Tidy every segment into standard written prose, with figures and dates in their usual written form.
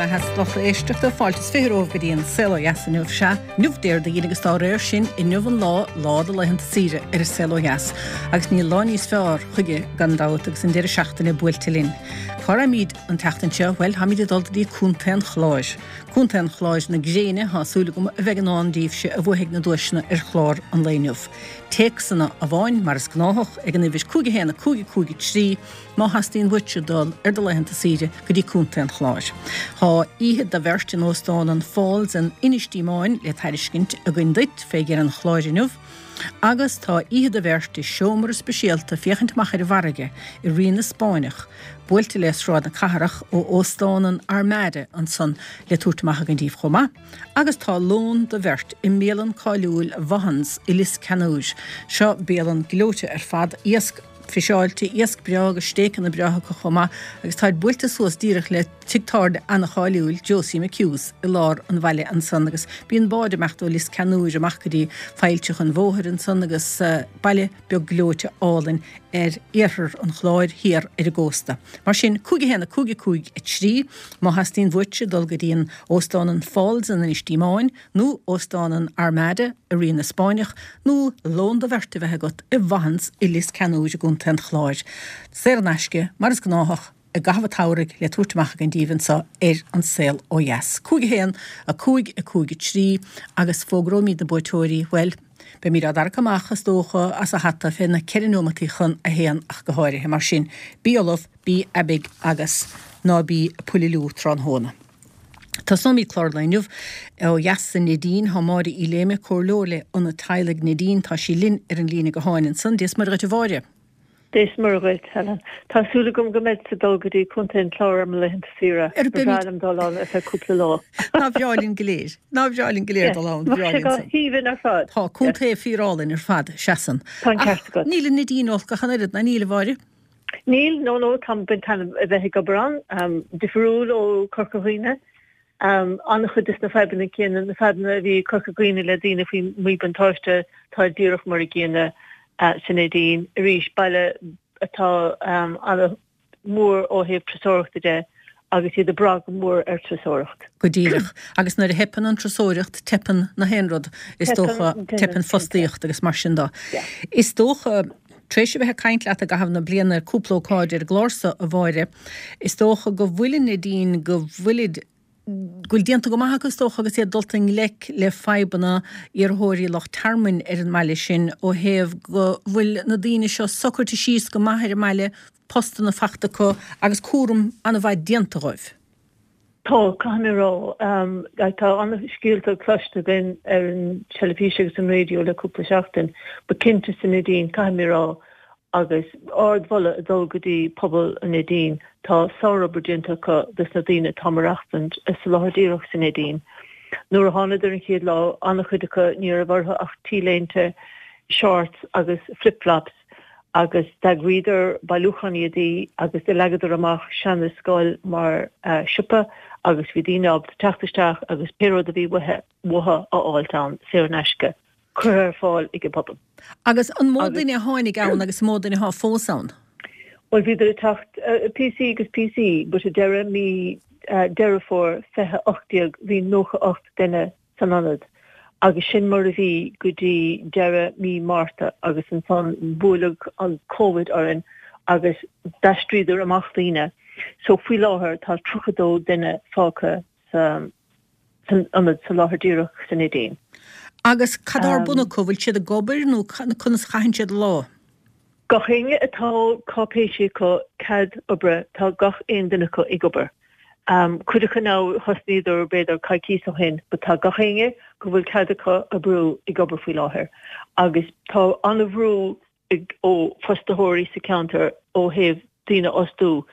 mhaith a lucht éisteachta. Fáilte is 20 romhaibh go dtí an Saol Ó Dheas inniu. Sea, inniu Déardaoin agus dá réir sin, inniu an lá, lá de laethanta saoire ar an Saol Ó Dheas. Agus níl lá níos fearr chuige gan dabht agus an deireadh seachtaine buailte linn. Cá raghaimid an tseachtain seo? Bhuel, táimid ag dul go dtí Contae an Chláir. Contae an Chláir na gréine, tá súil agam, a bheidh i ndán daoibhse a bhuafaidh na duaiseanna ar chlár an lae inniu. Téacsanna amháin, mar is gnáthach, ag an uimhir 5 1 5 5 3, má theastaíonn uaitse dul ar do laethanta saoire go dtí Contae an Chláir. Tá oíche do bheirt in Óstán an Falls in Inis Díomáin le tairiscint againn duit fé dheireadh an chláir inniu agus tá oíche do bheirt i seomra speisialta féachaint amach ar an bhfarraige i Rí na Spáinneach buailte le Sráid na Cathrach ó Óstán an Armada ansan le tabhairt amach againn daoibh chomh maith. Agus tá lón do bheirt i mbialann cáiliúil Vaughan's i Lios Ceannúir. Seo bialann gleoite ar fad, iasc fiseáilte, iasc breá agus stéiceanna breátha acu chomh maith agus táid buailte suas díreach le tigh tábhairne ana-cháiliúil, Josie McHugh's, i lár an bhaile ansan agus bíonn báid ag imeacht ó Lios Ceannúir amach go dtí Failltreach an Bhóthair ansan agus baile beag gleoite álainn ar iarthar an Chláir thiar ar an gcósta. Mar sin, 5 1 5 5 3 má theastaíonn uaitse dul go dtí an Óstán an Falls in Inis Díomáin, nó Óstán an Armada i Rí na Spáinneach, nó lón do bheirt a bheith agat i Vaughan's i Lios Ceannúir i gContae an Chláir. Saor in aisce, mar is gnáthach, i gcaitheamh an tsamhraidh le tabhairt amach againn daoibh anseo ar An Saol Ó Dheas. 5 1 5 5 3 agus fógróimid na buaiteoirí, bhuel, beimid á dtarrac amach, is dócha, as an hata fé na ceithre neomataí chun a haon ach go háirithe. Mar sin, bí ullamh, bí aibidh agus ná bí ag puililiú tráthnóna. Tosnóimid clár an lae inniu ó dheas sa Neidín. Tá Máire Uí Léime, Comhairleoir le Ionad Teaghlaigh Neidín, tá sí linn ar an líne gutháin ansan. Dia is Muire dhuit a Mháire. Dia is Muire dhuit, Helen. Tá súil agam go mbeidh ag dul go dtí Contae an Chláir ar mo laethanta saoire. Ba bhreá liom dul ann ar feadh cúpla lá. Nár bhreá linn go léir. Nár bhreá linn go léir dul ann. Bheadh sé go haoibhinn ar fad. Tá contae fíorálainn ar fad, seasann. Tá an ceart agat. Ach níl an Neidín olc ach an oiread, ná níl, a Mháire? Níl, no no, táim ag baint taitneamh a bheith ag obair ann. Difriúil ó Corca Dhuibhne. An-chuid des na fadhbanna céanna, na fadhbanna a bhí i Corca Dhuibhne le daoine faoi mhíbhuntáiste, tá díreach mar a gcéanna sa Neidín. Arís, baile atá an-mhór ó thaobh turasóireachta de agus iad ag brath go mór ar turasóireacht. Go díreach. Agus nuair a theipeann an turasóireacht, teipeann na haon rud, is dócha, teipeann fostaíocht agus mar sin de. Is dócha, tar éis a bheith ag caint leat i gcaitheamh na bliana ar cúpla ócáid ar an gclár so, a Mháire, is dócha go bhfuil an Neidín, go bhfuilid, go bhfuil déanta go maith acu is dócha agus iad dulta i ngleic le fadhbanna iarrthóirí lucht tearmainn ar an mbaile sin ó thaobh go bhfuil na daoine seo socraithe síos go maith ar an mbaile, postanna fachta acu agus cúram an-mhaith déanta dhóibh. Tá, caithfidh mé a rá. Tá an-scéalta cloiste againn ar an teilifís agus an raidió le cúpla seachtain, but cinnte sa Neidín, caithfidh mé a rá, agus ardmholadh ag dul go dtí pobal an Neidín, tá sárobair déanta acu dos na daoine atá ag maireachtaint sa láthair díreach sa Neidín. Nuair a thánadar an chéad lá, an-chuid acu ní raibh orthu ach T-léinte, shorts agus flip-flops, agus d'eagraíodar bailiúchán éadaí agus do leagadar amach seana scoil mar siopa agus bhí daoine ábalta teacht isteach agus pé rud a bhí uathu a fháilt ann, saor in aisce, curtha ar fáil ag an bpobal. Agus an mó duine a tháinig ann agus an mó duine atá fós ann? Bhuel bhíodar ag teacht píosaí agus píosaí but ag deireadh mí Deireadh Fómhair 2018 bhí 98 duine san ionad agus sin mar a bhí go dtí deireadh mí Márta agus ansan buaileadh an Covid orainn agus d'aistríodar amach daoine. So faoi láthair tá 32 duine fágtha sa san ionad sa láthair díreach sa Neidín. Agus cad atá ar bun acu, bhfuil siad ag obair nó conas a chaitheann siad a lá? Gach éinne atá cáipéisí acu, cead oibre, tá gach aon duine acu ag obair. Cuid acu now thosnaíodar b'fhéidir coicíos ó shin but tá gach éinne go bhfuil cead acu oibriú ag obair faoi láthair agus tá an-bhrú ag ó fostaitheoirí sa ceantar ó thaobh daoine a fhostú.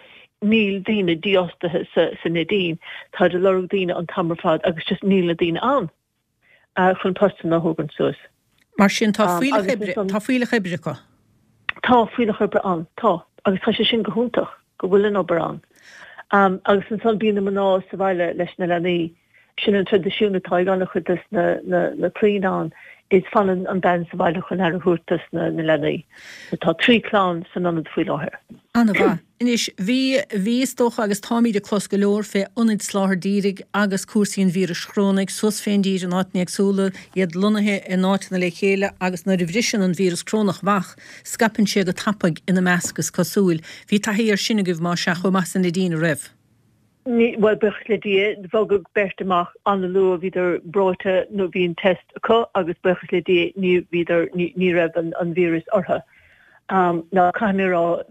Níl daoine dífhostaithe sa sa Neidín, táid ag lorg daoine an t-am ar fad agus just níl na daoine ann. chun postanna a thógaint suas. Mar sin, tá fuílleach oibre, tá fuílleach oibre acu. Tá fuílleach oibre ann, tá. Agus tá sé sin go hiontach, go bhfuil an obair ann. Agus ansan bíonn na mná sa bhaile leis na leanaí. Sin an traidisiún atá ag an-chuid des na clainn ann, is fanann an bean sa bhaile chun aire a thabhairt dos na leanaí. Tá 3 clann san ionad faoi láthair. An-mhaith. Anois, bhí, bhí, is dócha, agus táimíd ag clos go leor fé ionaid soláthair dhírigh agus cúrsaí an víris chrónaigh suas fén dtír in áiteanna éagsúla, iad lonnaithe in áiteanna le chéile agus nuair a bhriseann an víreas crónach amach, scaipeann sé go tapaidh ina measc, is cosúil. Bhí taithí air sin agaibh, más ea, chomh maith san Neidín, a raibh? Ní, bhuel, buíochas le Dia, bhogadh beirt amach an-luath, bhíodar breoite nó bhí an test acu agus buíochas le Dia ní bhíodar, ní, ní raibh an, an víreas orthu. Now, caithfidh mé a rá,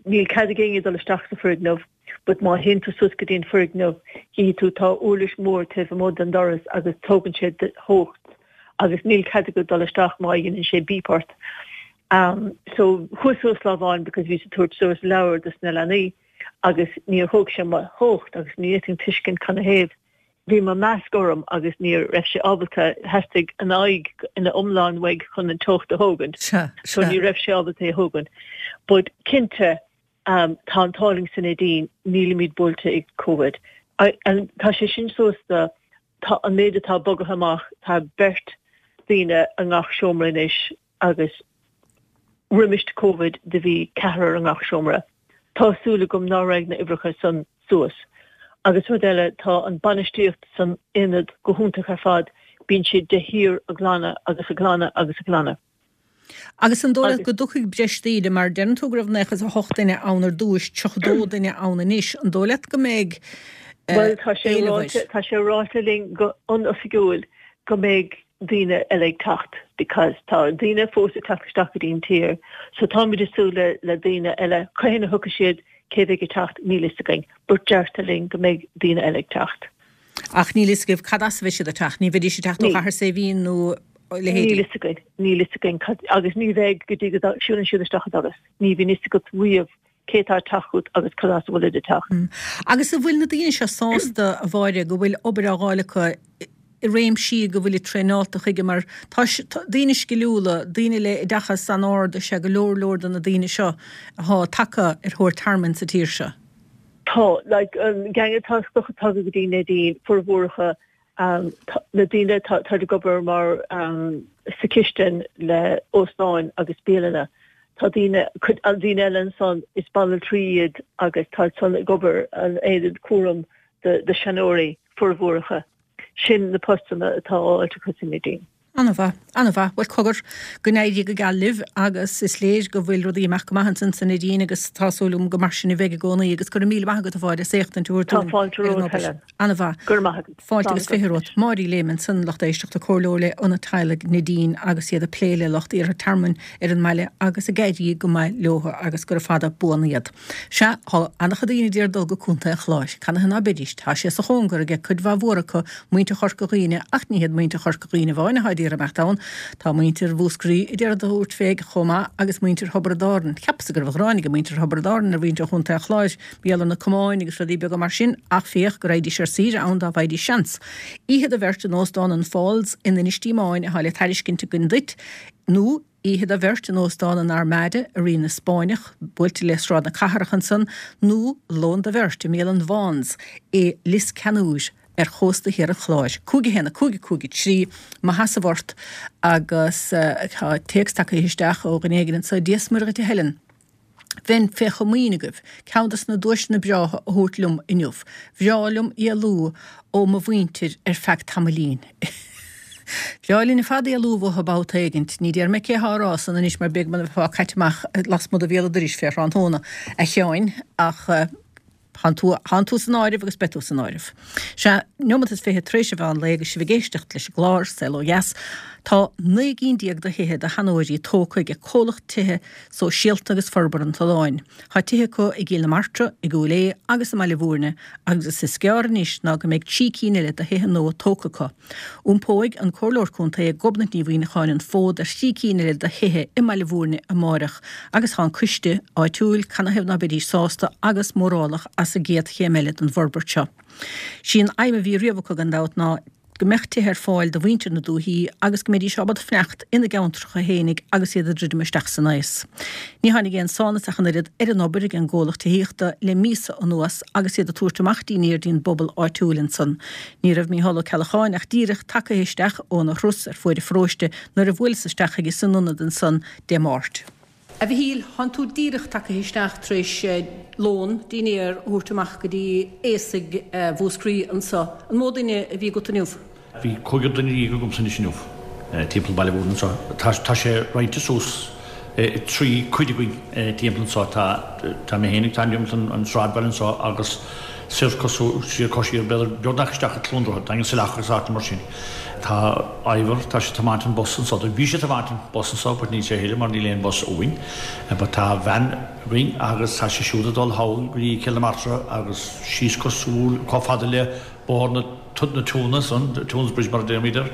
níl cead ag éinne dul isteach sa foirgneamh but má théann tú suas go dtí an foirgneamh, chífidh tú tá uirlis mhór taobh amuigh den doras agus tógann sé do theocht agus níl cead agat dul isteach má dhéanann sé beep ort. So, chuas suas lá amháin because bhíos ag tabhairt suas leabhar dos na leanaí. agus níor thóg sé mo theocht agus ní fhéadfainn tuiscint canathaobh. Bhí mo masc orm agus ní raibh sé ábalta, theastaigh an aghaidh ina iomlán uaidh chun an teocht a thógaint. So ní raibh sé ábalta é a thógaint. But cinnte tá an t-ádh linn sa Neidín, nílimid buailte ag Covid. Tá sé sin suas do, tá an méid atá bogaithe amach, tá beirt daoine i ngach seomra anois agus roimis Covid do bhí ceathrar i ngach seomra. Tá súil agam ná raghaidh na uimhreacha san suas. Agus rud eile, tá an bainistíocht san aonad go hiontach ar fad, bíonn siad de shíor ag glanadh agus ag glanadh agus ag glanadh. Agus an dóigh leat go dtiocfaidh breis daoine, mar deireann tú go raibh 98 duine ann ar dtúis, 32 duine ann anois, an dóigh leat go mbeidh Bhuel, tá sé ráite, tá sé ráite linn go an-oifigiúil go mbeidh daoine eile ag teacht because tá daoine fós ag teacht isteach go dtí an tír so táimid ag súil le le daoine eile. Cathain a thiocfaidh siad, cé bheidh ag teacht, níl fhios againn but deirtear linn go mbeidh daoine eile ag teacht. Ach níl fhios agaibh cad as a bheidh siad ag teacht, ní bheidís ag teacht ó Chathair Saidhbhín nó a leithéidí? Níl fhios againn, níl fhios againn cad agus ní bheidh go dtí go siúlann siad isteach an doras. Ní bhíonn fhios agat riamh cé atá ag teacht chugat agus cad as a bhfuilid ag teacht. Agus an bhfuil na daoine seo sásta, a Mháire, go bhfuil obair á dh'fháil acu i réimsí go bhfuilid traenáilte chuige mar tá daoine sciliúla, daoine le oideachas an-ard is ea go leor leor de na daoine seo athá tagtha ar thóir tearmainn sa tír seo. Tá, like, an gang atá tagtha go dtí Neidín, formhór acu Na daoine atá ag obair mar sa chistin le óstáin agus bialanna. Tá daoine, cuid daoine eile ansan, is banaltraí iad agus tá san ag obair an aonad cúram do seanóirí, formhór acu. Sin na postanna atá á fháilt acu sa Neidín. An-mhaith, an-mhaith. Bhuel, cogar, go n-éirí go geal libh agus is léir go bhfuil rudaí ag imeacht go maith ansan sa Neidín agus tá súil agam go mar sin a bheidh i gcónaí agus go raibh míle maith agat a Mháire as éachtaint a thabhairt dúinn Tá fáilte ar an romhat, obair. Helen. An-mhaith. Go raibh maith agat. Fáilte agus 20 romhat. Máire Lehman ansan, lucht éisteachta, comhairleoir le Ionad Teaghlaigh Neidín agus iad ag plé le lucht iarrtha tearmainn ar an mbaile agus ag éirí go maith leo agus gura fada buan iad. Sea, thá an-chuid daoine a d'iarraidh dul go Contae an Chláir. Canathaobh ná beidís? Tá sé sa chóngar aige cuid mhaith mhór acu, muintir Chorca Dhuibhne, ach ní hiad muintir Chorca Dhuibhne amháin athá d'iarraidh imeacht ann. Tá muintir Mhúscraí a d'iarraidh tabhairt fé chomh maith agus muintir Thiobraid Árann. Cheapas-sa go raibh gráin aige muintir Thiobraid Árann ar mhuintir Chontae an Chláir, mar gheall ar na camáin agus rudaí beaga mar sin, ach féach go raghaidís ar saoire ann dá bhfaighidís seans. Oíche do bheirt in Óstán an Falls in Inis Díomáin athá le tairiscint againn duit, nó. Oíche do bheirt in Óstán an Armada i Rí na Spáinneach, buailte le Sráid na Cathrach ansan, nó lón do bheirt i mbialann Vaughan's i Lios Ceannúir ar chósta thiar an Chláir. 5 1 5 5 3 Mo sheasamh ort agus tá téacs tagtha isteach ó dhuine éigin anso, Dia 's Muire dhuit a Helen. Bheinn fé chomaoin agaibh ceann dos na duaiseanna breátha a thabhairt liom inniu. Bhreá liom éalú ó mo mhuintir ar feadh tamaillín. Bhreá linn ar fad éalú uathu babhta éigint. Ní déarfaidh mé cé thá á rá san anois mar b'fhéidir go mbeifeá caite amach lasmuigh de bhéal an dorais fé thráthnóna, a Sheáin, ach. Thánn tú, thánn tú san áireamh agus beidh tú san áireamh. Sea, neomat is 20 tar éis an mheán lae agus sibh ag éisteacht leis an gclár, Saol Ó Dheas. Tá 19 gcinn de thithe do sheanóirí tógtha ag Comhlacht Tithe Sóisialta agus Forbartha an tSuláin. Tá tithe acu i gCill na Martra, i gCúil Aodha agus i mBaile Bhúirne agus is gearr anois ná go mbeidh 3 cinn eile de thithe nua tógtha acu. Iompóidh an Comhairleoir Contae Gobnait Ní Mhuimhneacháin an fód ar thrí cinn eile de thithe i mBaile Bhúirne amáireach agus tá an coiste áitiúil, canathaobh ná beidís sásta agus mórálach as an gcéad chéim eile den bhforbairt seo. Sí an aidhm a bhí riamh acu gan dabht ná go mbeadh tithe ar fáil do mhuintir na dúichí agus go mbeidís ábalta fanacht ina gceantracha fhéinig agus iad ag druidim isteach san aos. Ní tháinig aon sánas ach an oiread ar an obair ag an gcomhlacht tithíochta le míosa anuas agus iad ag tabhairt amach dínnéir dtí'n bpobal áitiúil ansan. Ní raibh Mícheál Ó Ceallacháin ach díreach tagaithe isteach óna thuras ar fuaid an pharóiste nuair a bhuaileas isteach chuige san ionad ansan Dé Máirt. A Mhichíl, thánn tú díreach tagtha isteach tar éis lón, dinnéar, a thabhairt amach go dtí aosaigh Mhúscraí anso. An mó duine a bhí agat inniu? Bhí cúigear duine dhéag agamsa anois inniu, timpeall Baile Mhúirne anseo. Tá sé roinnte suas i dtrí cuid againn timpeall anseo. Tá, tá mé féinig, tá timpeall an sráidbhaile anseo agus soir cosúil, siar cois siar, b'fhéidir beagnach isteach i Cluain Droichead, Daingean Saileach agus áiteanna mar sin. Tá Ivor, tá sé ag tiomáint an bus anseo, bhí sé ag tiomáint an bus anseo but níl sé a thuilleadh mar níl aon bus uainn. But tá veain againn agus tá sé siúd ag dul thall go dtí Cill na Martra agus síos cosúil, chomh fada le Bóthar na na Tiúna san, Tunes Bridge mar a deirimid air,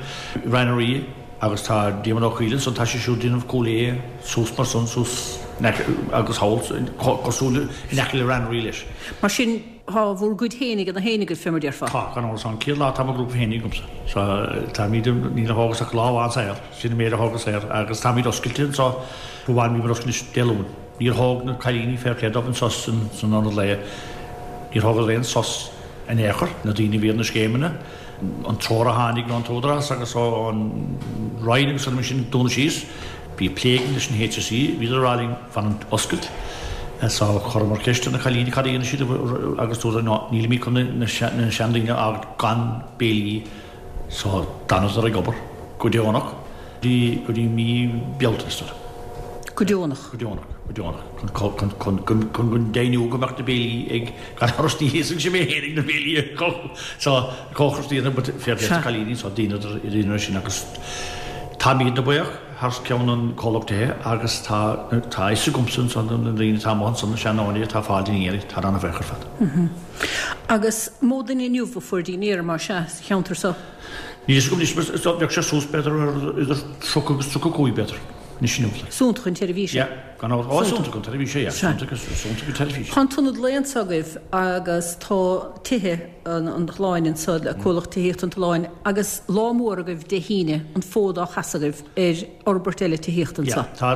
Rann na Rí agus tá Diarmuid Ó Caoil ansan, tá sé siúd ag déanamh Cúil Aodha suas mar san, suas in aice agus thall cosúil in aice le Rann na Rí leis. Mar sin, tá bhur gcuid féinig ina fhéinig agaibh fé mar déarfá. Tá, gan amhras, an chéad lá tá mo ghrúpa féinig agamsa. So táimid, níl a thógas ach lá amháin saor, sin an méid a thógas saor agus táimid oscailte anso, bhuel bhíomar oscailte anois Dé Luain. Níor thóg na cailíní fair play dóibh an sos san ionad lae, níor thógadar aon sos. in aon chor, na daoine a bhí ar na scéimeanna, an treoir a tháinig ón t-údarás agus ón Roinn agus rudaí mar sin, dúnadh síos. Bhí plé againn leis an HSE, bhíodar ag rá linn fanúint oscailt. So chuireamar ceist ar na cailíní cad a dhéanfaidh siad agus dúradar no, nílimid chun na seandaoine a fhágáil gan béilí So d'fhanadar ag obair go deonach go dtí mí Bealtaine is dóigh. Go deonach? Go deonach, go deonach. Chun, chun, chun, chun go deimhniú go mbeadh na béilí ag, gan amhras ní íosfadh mé féin na béilí so cócaireacht a dhéanamh but fair play do cailíní so dheineadar, dheineadar sin agus táimidne buíoch thar ceann an comhlacht tithe agus tá, tá a fhios agamsa ansan na daoine atá amuigh ansan na seandaoine atá ag fáil dinnéirí, tá an-bhuíoch ar fad. Agus mó duine inniu a fuair dinnéar mar sea sa cheantar so? Níl fhios agam anois, bheadh sé suas b'fhéidir ar idir 30 agus 35 b'fhéidir, anois inniu. Suantach an tseirbhís é. Yeah, gan amhras. Ó, suantach an tseirbhís é, yeah. Suantach, suantach an tseirbhís. Tá an t-ionad lae anso agaibh agus tá tithe an tSuláin anso, Comhlacht Tithíochta an tSuláin, agus lá mór agaibh Dé hAoine, an fód á chasadh agaibh ar fhorbairt eile tithíochta anso. Yeah, tá.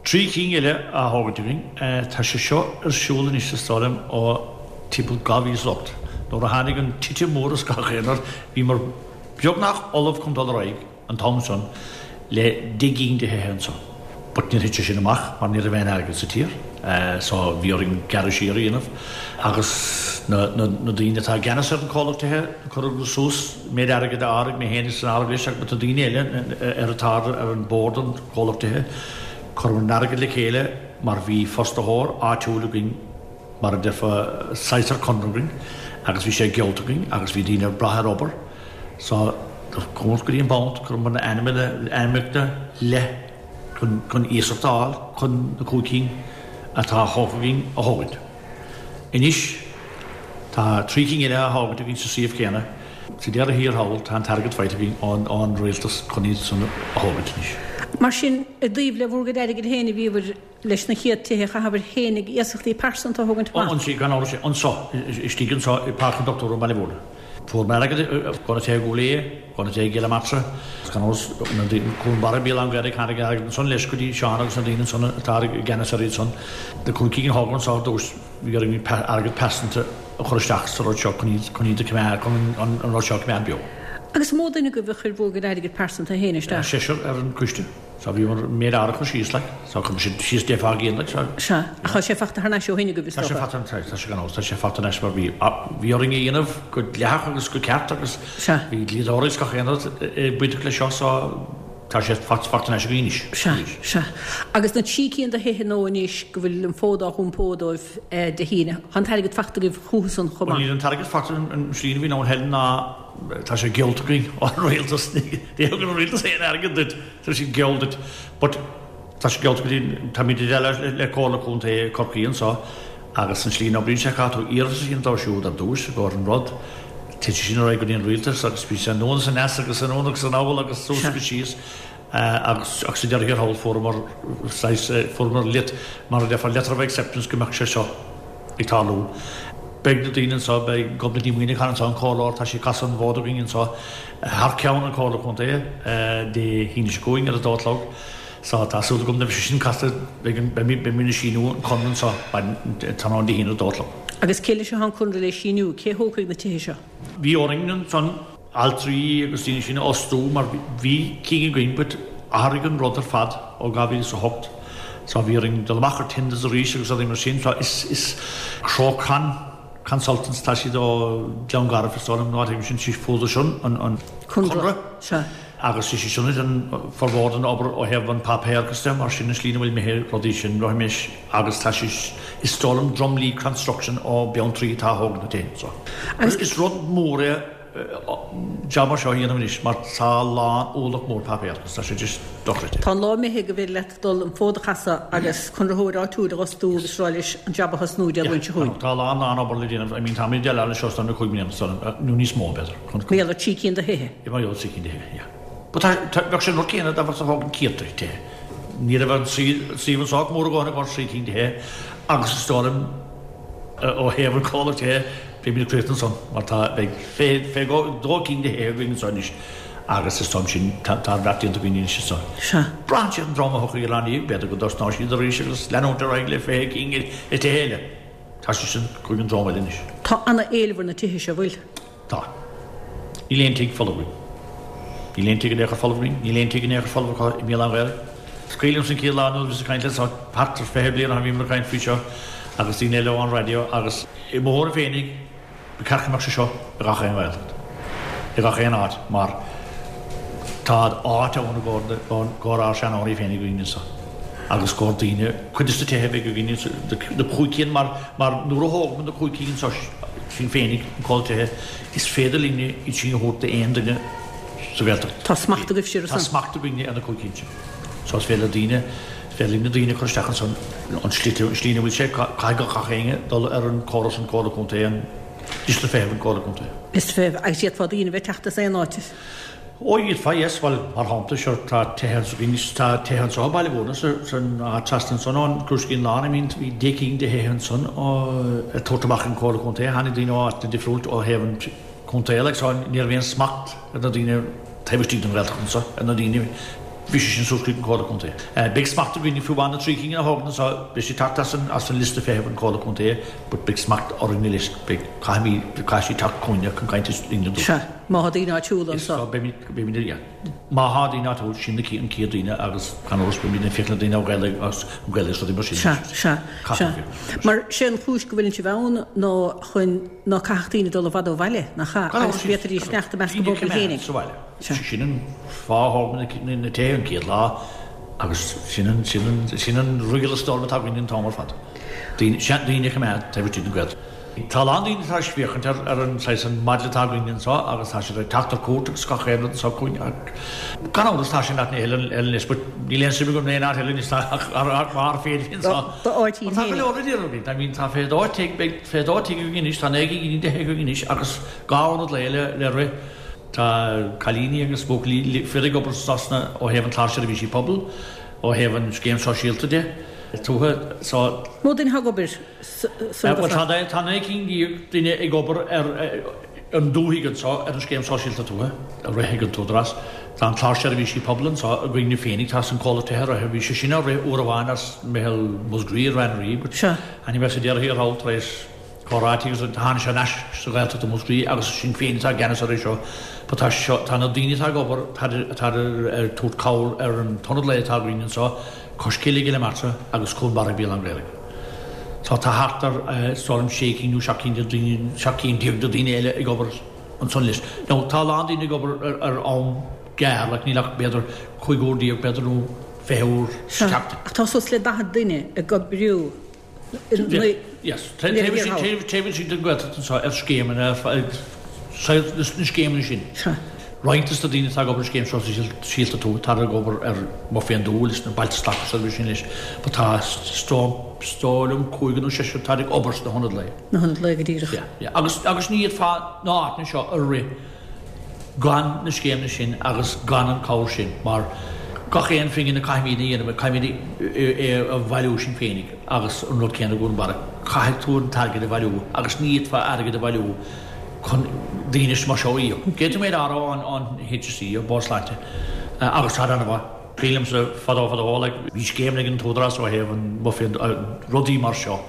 3 cinn eile á thógaint againn. Tá sé seo ar siúl anois is dóigh liom ó timpeall 2008. Nuair a tháinig an titim mór is gach aon rud, bhíomar beagnach ullamh chun dul ar aghaidh an t-am san le 10 gcinn de thithe anso. But níor thit sé sin amach mar ní raibh aon airgead sa tír so bhí orainn gearradh siar a dhéanamh agus na daoine atá i gceannas ar an comhlacht tithe cuireadh suas méid airgid a áireamh, mé féin san áireamh leis agus na daoine eile ar atá ar an bord an comhlacht tithe. Chuireamar an airgead le chéile mar bhí fostaitheoir áitiúil againn mar a déarfá saghas ar conradh againn agus bhí sé geallta againn agus bhí daoine ag brath ar obair so do chuamar go dtí an banc chuireamar na ainmneacha le chun chun iasacht a fháil chun na cúig cinn atá thógtha againn a thógaint. Anois tá trí cinn eile á thógaint againn sa suíomh céanna. Sa deireadh thiar thall, tá an t-airgead faighte againn ón rialtas chun iad san a thógaint anois. Mar sin, i dtaobh le bhur gcuid airgid féin a bhíobhair leis na chéad tithe, chaitheabhair féinig iasachtaí pearsanta a thógaint amach? Anso, gan amhras, anso, istigh anso i Páirc an Dochtúra i mBaile Mhúirne. Fuair mé airgead ó na tithe i gCúil Aodha, ó na tithe i gCill na Martra, gan amhras, na daoine, Cuan Barra, Béal Átha an Ghaorthaidh, tháinig an airgead ansan leis go dtí Seán agus na daoine ansan atá i gceannas ar iad san. Na cúig cinn a thógadh anso ar dtús. Bhí orainn airgead pearsanta a chur isteach sa rud seo chun iad, chun iad a choimeád, chun an rud seo a choimeád beo. Agus mó duine agaibh a chuir bhur gcuid airgid pearsanta féin isteach? Seisear ar an gcoiste. So bhíomar méid airgid a chur síos like. So chuir siad síos deich fá gcéin like so. Sea. Ach tá sé fachta thar n-ais ó shin agaibh is dócha? Tá sé fachta, tá, tá sé gan amhras, tá sé fachta thar n-ais mar bhí, bhí orainn é a dhéanamh go dleathach agus go ceart agus Sea. bhí dlíodóirí is gach aon rud bainteach leis seo so Tá sé fachta thar n-ais againn anois. Sea, sea. Agus na trí cinn de thithe nua anois go bhfuil an fód á iompó dóibh Dé hAoine, tá an t-airgead fachta agaibh chucu san chomh maith? Bhuel, níl an t-airgead fachta, an slí a bhíonn ann Helen ná tá sé geallta againn ón rialtas, ní thugann an rialtas aon airgead duit, tá siad geall duit. But tá sé geallta go dtí, táimid i dteagmháil le Comhairle Contae Chorcaí anseo Agus an slí a n-oibríonn sé, caithfidh tú iarratas a dhéanamh dóibh siúd ar dtús i gcomhair an rud, titfidh sin ar aghaidh go dtí an rialtas agus bíonn sé anonn is aneas agus anonn agus anall agus suas agus síos agus ach sa deireadh thiar thall fuaireamar saghas, fuaireamar lit, mar a déarfá letter of acceptance go mbeadh sé seo ag tarlú. Beidh na daoine anseo, beidh Gobnait Ní Mhuineacháin anseo, an comhairleoir, tá sí ag casadh an bhfód againn anseo thar ceann an Comhairle Contae Dé hAoine seo chugainn ar a dó a chlog. So, tá súil agam nuair a bheidh sé sin casta, beidh beimid ag síniú an conradh anseo tráthnóna Dé hAoine ar a dó a chlog. Agus cé leis atá an conradh le síniú? Cé thógfaidh na tithe seo? Bhí orainn ansan altraí agus daoine sin a fhostú mar bhí cinn againn but athraigh an rud ar fad ó 2008. So bhí orainn dul amach ar tenders arís agus rudaí mar sin. So is, is Crowcon Consultants, tá siad ó Gleann Garbh is dóigh liom, nó áit éigin sin, fuaradar sin an, an Conradh. Sea. Agus is í sin an formhór den obair ó thaobh an páipéarachas de, mar sin an slí ina bhfuil imithe rudaí sin roimis agus tá sé, is dóigh liom Drumley Construction ó Beanntraí atá a thóg na tithe so. Agus is rud mór é jab mar seo a dhéanamh anois mar tá a lán ualach mór páipéarachas, tá sé just dochreidte. Tá an lá imithe go bhféidir leat dul an fód a chasadh agus conraitheoir áitiúil a fhostú agus rá leis an jab a thosnú Dé Luain seo chugainn. Tá a lán lán obair le déanamh, I mean táimid ag déileáil leis seo os cionn 5 mbliana nó níos mó b'fhéidir. Mar gheall ar 3 cinn de thithe. Yeah, mar gheall ar 3 cinn de thithe, yeah. But tá, tá, bheadh sé an rud céanna dá mbeadh ag tógaint céadta tithe. Ní raibh an suíomh anseo ach mór a dhóthain i gcomhair 3 cinn de thithe agus is dóigh liom ó thaobh an comhlacht tithe, beimid ag críochnú ansan mar tá, beidh 22 cinn de thithe againn anseo anois agus is dóigh liom sin, tá, tá an beart déanta againn anois anso. Sea. Braitheann sé ar an dream a thiocfaidh ar an ndiaidh, b'fhéidir go dtosnóidh siad arís agus leanúint ar aghaidh le 20 cinn de thithe eile. Tá sé sin chuig an dream eile anois. Tá ana-éileamh ar na tithe seo, bhfuil? Tá. Níl aon tigh folamh againn. Níl aon tigh in aon chor folamh againn. Níl aon tigh in aon chor folamh acu i mBéal Átha an Ghaorthaidh. Is cuimhin liomsa an chéad lá nuair a bhíos ag caint le seo, thart ar 20 bliain ó shin bhíomar ag caint faoi seo agus daoine eile ón raidió agus i mo thuairim féinig, Ba cheart go mbeadh sé seo i gach aon Ghaeltacht, i gach aon áit mar tá áit ann i gcomhair ár seanóirí féin againn anseo agus i gcomhair daoine, cuid de na tithe a bheidh againn anseo, na cúig cinn mar mar nuair a thógfaimid na cúig cinn anseo sinn féinig, an comhlacht tithe, is féidir linne iad sin a thabhairt d'aon duine sa Ghaeltacht. Tá smacht agaibhse ar Tá smacht againne ar na cúig cinn sin. So is féidir le daoine, is féidir linn na daoine a chur isteach ansan, an slí, an slí ina bhfuil sé, caithfidh gach éinne dul ar an córas an Comhairle Contae, an liosta feithimh an Comhairle Contae. Liosta feithimh, agus d'fhéadfá daoine a bheith ag teacht as aon áit. Ó d'fhéadfá, yes, bhuel, mar shampla, sure, tá tithe anso againn, tá tithe anso i Baile Mhúirne, sa, san áit trasna ansan ón Crúiscín Lán, I mean, bhí deich gcinn de thithe ansan á, ag tabhairt amach an Comhairle Contae, tháinig daoine ó áiteanna difriúil ó thaobh an, contae like so ní raibh aon smacht ar na daoine taobh istigh den Ghaeltacht anseo, ar na daoine, bhí sé sin suas chuig an Comhairle Contae. Beidh smacht againne fiú amháin na trí cinn a thógann anseo, beidh siad teacht as an, as an liosta feithimh an Comhairle Contae but beidh smacht orainn uilig, beidh, caithfimid, caithfidh siad teacht chugainne chun caint linn ar dtús. Sea, má thá daoine áitiúla anseo. Is, so beimid, beimid, yeah. Má thá daoine áitiúil, sin na an chéad daoine agus gan amhras beimid ag féachaint le daoine ó Ghaeilge agus an Ghaeilge agus rudaí mar sin. Sea, sea, sea. Mar sé an chúis go bhfuileann sibh ann ná chun ná caithfeadh daoine dul i bhfad ó bhaile, nach ea, agus go bhféadfaidís fanacht i measc a bpobail féinig. Sa bhaile. Sea. Sin an fáth a thóg mé na tithe an chéad lá agus sin an, sin an, sin an riail is dóigh liom atá againn an t-am ar fad. Daoine, sea, daoine a choimeád taobh istigh den Ghaeltacht. Tá a lán daoine tar éis féachaint ar ar an saghas an model atá againn anseo agus tá siad ag teacht ar cuairt agus gach aon rud anseo chugainn ach gan amhras tá sé in áit eile anois but níl aon suim agam in aon áit eile anois ach ach mar féin anseo. D'áit Tá go leor le déanamh againn. I mean tá 22 tigh beidh 22 tigh againn anois tá 9 gcinn de thithe againn anois agus 2 ionad lae le le rith. Tá cailíní agus buachaillí fir ag obair sna ó thaobh an clár seirbhísí pobail ó thaobh an scéim sóisialta de tuaithe so. Mó duine atá ag obair Bhuel, tá 19 cinn duine ag obair ar an dúthaigh anseo ar an Scéim Sóisialta Tuaithe a rith ag an tÚdarás. Tá an Clár Seirbhísí Pobail anseo againne féinig, tá an comhlacht tithe a rith, bhí sé sin á rith uair amháin as Meitheal Mhúscraí i Ráth but tháinig mé sa deireadh thiar thall tar éis comhráití agus tháinig sé ar ais sa Ghaeltacht i Múscraí agus Sinn Féin atá i gceannas air seo. But tá seo, tá na daoine atá ag obair, tá ag tabhairt cabhair ar an t-ionad lae atá againn anseo, Cois Cille i gCill Martra agus Cuan Barra Béal Átha an Ghaorthaidh. Tá tá thart ar is dóigh liom sé cinn nó seacht gcinn de daoine, seacht gcinn déag de daoine eile ag obair ansan leis. Now tá a lán daoine ag obair ar ar am gearr, like níl ach b'fhéidir 15 uair b'fhéidir nó 20 uair sa Sea, tseachtain. ach tá suas le 40 duine ag oibriú Yes, taobh istigh den Ghaeltacht anseo ar scéimeanna, na scéimeanna sin. Roinnt de na daoine atá ag obair ar scéim sóisialta tuaithe, tá ag obair ar Bhóthar Fén dTuath leis na Bailte Slachtmhara seirbhís sin leis, but tá is dóigh liom cúigear nó seisear atá ag obair sna hionaid lae. Na hionaid lae go díreach. Yeah, yeah. Agus, agus ní fhéadfá na háiteanna seo a rith gan na scéimeanna sin agus gan an cabhair sin mar gach aon phingin a caithfimid a dhéanamh, caithfimid é a bhailiú sinn féinig agus an rud céanna i gCuan Barra, caithfidh tú an t-airgead a bhailiú agus ní fhéadfá airgead a bhailiú chun daoine mar seo a íoc. D'fhéadfadh mé a rá ón HSE, an Bord Sláinte, agus tá an-mhaith. Cuimhin liomsa fadó fadó like bhí scéimeanna ag an t-údarás ó thaobh an bhuffet rudaí mar seo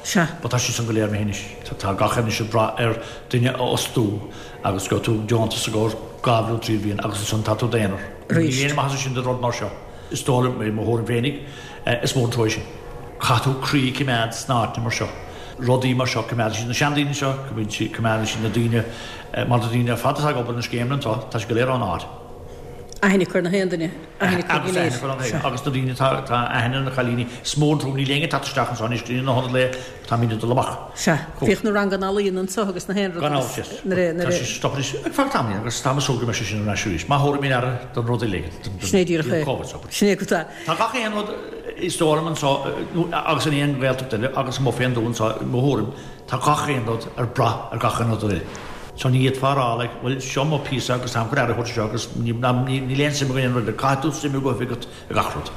but tá sé san go léir imithe anois. Tá gach aon anois ag brath ar duine a fhostú. Agus gheobhaidh tú deontas i gcomhair dhá bhliain, trí bhliain agus ansan tá tú d'aonar. Arís. Níl aon maitheas ansin do rud mar seo. Is dóigh liom, i mo thuairim féinig, is mór an trua é sin. Caithfidh tú croí a choimeád sna áiteanna mar seo, rudaí mar seo, coimeádann siad na seandaoine seo, coimeádann siad na daoine, mar na daoine ar fad atá ag obair na scéimeanna anseo, tá siad go léir ón áit. Aithne acu ar na haon duine, aithne acu go léir. Sea. Agus na daoine atá, tá aithne ar na cailíní, is mór an trua, níl éinne ag teacht isteach anseo anois go dtí na hionaid lae, táimid ag dul amach. Sea. Bhíodh na ranganna ealaíon anseo agus na haon rud Gan amhras, yes. Nuair a, nuair a. Tá sé stoptha anois ar feadh tamaill agus táim ag súil go mbeidh sé sin ar ais arís. Má thabharfaidh mé aire don rud uilig, don, don, Sin é díreach é. Covid so. Sin é go tá. Tá gach aon rud is dóigh liom anseo, agus in aon Ghaeltacht eile, agus amuigh fén dtuath anseo, i mo thuairim, tá gach aon rud ar brath ar gach aon rud eile. So ní fhéadfá a rá like, bhuel, seo mo phíosa agus táim chun aire a thabhairt seo agus níl aon suim agam in aon rud eile. Caithfidh tú suim a bheith agat i gach rud.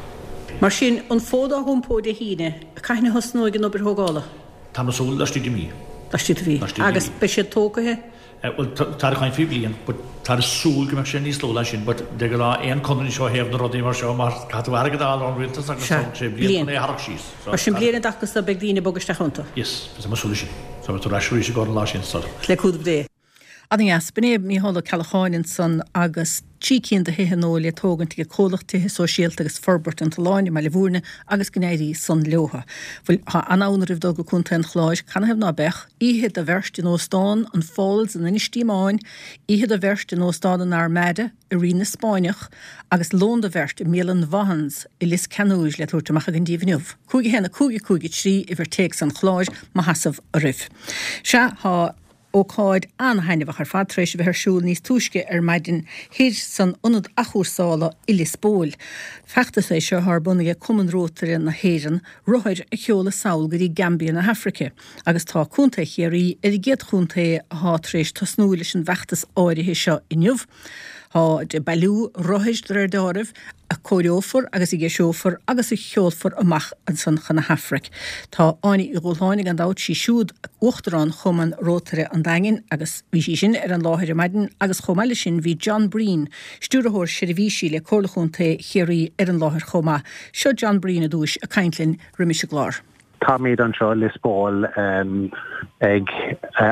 Mar sin, an fód á iompó Dé hAoine, cathain a thosnóidh an obair thógála? Táim ag súil laistigh de mhí. Laistigh de mhí. Laistigh de mhí. Agus beidh siad tógtha? Bhuel, táthar ag caint faoi bhliain, but táthar ag súil go mbeadh sé níos luath ná sin, but de ghnáth aon conradh seo ó thaobh na rudaí mar seo, mar caithfidh tú airgead a fháil ón rialtas agus Sea, tógann sé bliain bliain. chun é a tharrac síos. So, Mar sin bliain i dtaca so beidh daoine ag bogadh isteach iontu. Yes, táim ag súil leis sin. So beidh tú ar ais arís i gcomhair an lá sin, so. Le cúnamh Dé. Ana-dheas. B'in é Mícheál Ó Ceallacháin ansan agus 3 cinn de thithe nua le tógaint ag Comhlacht Tithe Sóisialta agus Forbairt an tSuláin i mBaile Bhúirne agus go n-éirí san leotha. Bhuel, tá an-fhonn oraibh dul go Contae an Chláir, canathaobh ná beadh? Oíche do bheirt in Óstán an Falls in Inis Díomáin, oíche do bheirt in Óstán an Armada i Rinn na Spáinneach agus lón do bheirt i mbialann Vaughan's i Lios Ceannúir le tabhairt amach againn díbh inniu. 5 1 5 5 3 uimhir téacs an Chláir má sheasamh oraibh. Sea, tá. Ócáid an-thaitneamhach ar fad tar éis a bheith ar siúl níos túisce ar maidin thoir san Ionad Athchúrsála i Lios Póil. Feachtas é seo atá ar bun ag Cumann Rótaire na hÉireann, rothair a sheoladh sall go dtí Gambia na hAfraice, agus tá Contae Chiarraí ar an gcéad chontae atá tar éis tosnú leis an bhfeachtas áirithe seo inniu. Táid ag bailiú rothair de réir deáraimh, a cóireofar agus a dheiseofar agus a sheolfar amach ansan chun na hAfraice. Tá Áine Uí Dhúshláine, gan dabht, sí siúd Uachtarán Chumann Rótaire an Daingin agus bhí sí sin ar an láthair ar maidin agus chomh maith leis sin bhí John Breen, Stiúrthóir Seirbhísí le Comhairle Chontae Chiarraí ar an láthair chomh maith. Seo John Breen i dtúis ag caint linn roimis an gclár. Táimid anseo i Lios Póil ag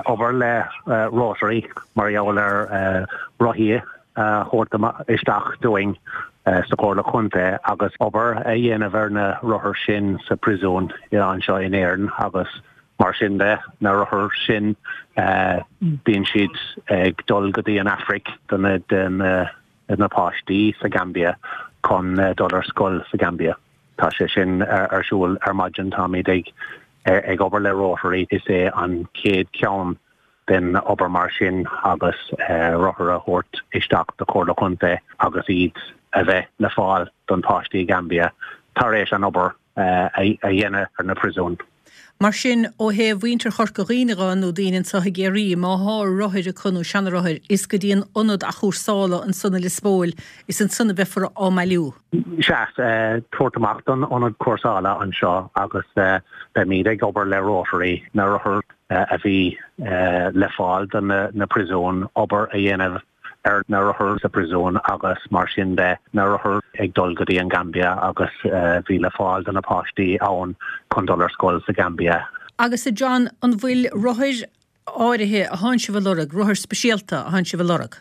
obair le Rotary mar gheall ar rothaí a thabhairt isteach dúinn sa Chomhairle Chontae agus obair a dhéanamh ar na rothair sin sa phríosún anseo in Éirinn agus mar sin de, na rothair sin bíonn siad ag dul go dtí an Afraic do na páistí sa Gambia chun dul ar scoil sa Gambia. Tá sé sin ar siúl ar maidin. Táimid ag ag obair le Rotary. Is é an chéad cheann den obair mar sin agus rothair a thabhairt isteach do Chomhairle Chontae agus iad a bheith le fáil don páistí i Gambia tar éis an obair a dhéanamh ar na príosúin. Mar sin, ó thaobh mhuintir Chorca Dhuibhne dhe nó daoine anseo i gCiarraí, má thá rothair acu nó seanarothair, is go dtí an ionad athchúrsála ansan i Lios Póil, is ansan a bheifear á mbailiú. Sea, tabhairt amach don ionad cúrsála anseo agus beimid ag obair le Rotary, na rothair a bhí le fáil do na príosúin, obair a dhéanamh ar na rothair sa phríosún agus mar sin de, na rothair ag dul go dtí an Gambia agus bhí le fáil do na páistí ann chun dul ar scoil sa Gambia. Agus a John, an bhfuil rothair áirithe a thánn sibh a lorg, rothair speisialta a thánn sibh a lorg?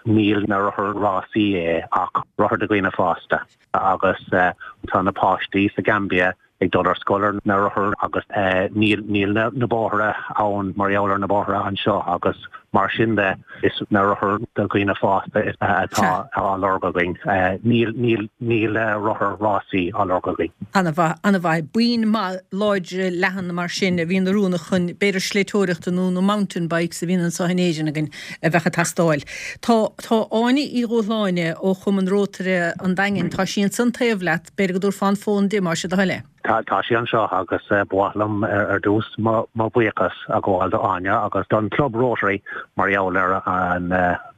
Níl na rothair rásaí é ach rothair do dhaoine fásta agus tá na páistí sa Gambia ag dul ar scoil ar na rothair agus níl níl na bóithre ann mar gheall ar na bóithre anseo agus mar sin de is na rothair do dhaoine fásta atá á lorg againn. Níl níl níl rothair rásaí á lorg againn. Ana-mhaith, ana-mhaith. Boinn maith láidre leathan mar sin a bhíonn oiriúnach chun b'fhéidir sléibhteoireachta nó na mountain bikes a bhíonn anseo in Éirinn againn a bheadh ag teastáil. Tá tá Áine Uí Dhúshláine ó Chumann Rótaire an Daingin, tá sí ansan taobh leat, B'fhéidir go dtabharfá an fón di, más é do thoil é. Tá sí anseo agus ba mhaith liom ar dtús mo bhuíochas a ghabháil do Áine agus don Chlub Rotary mar gheall ar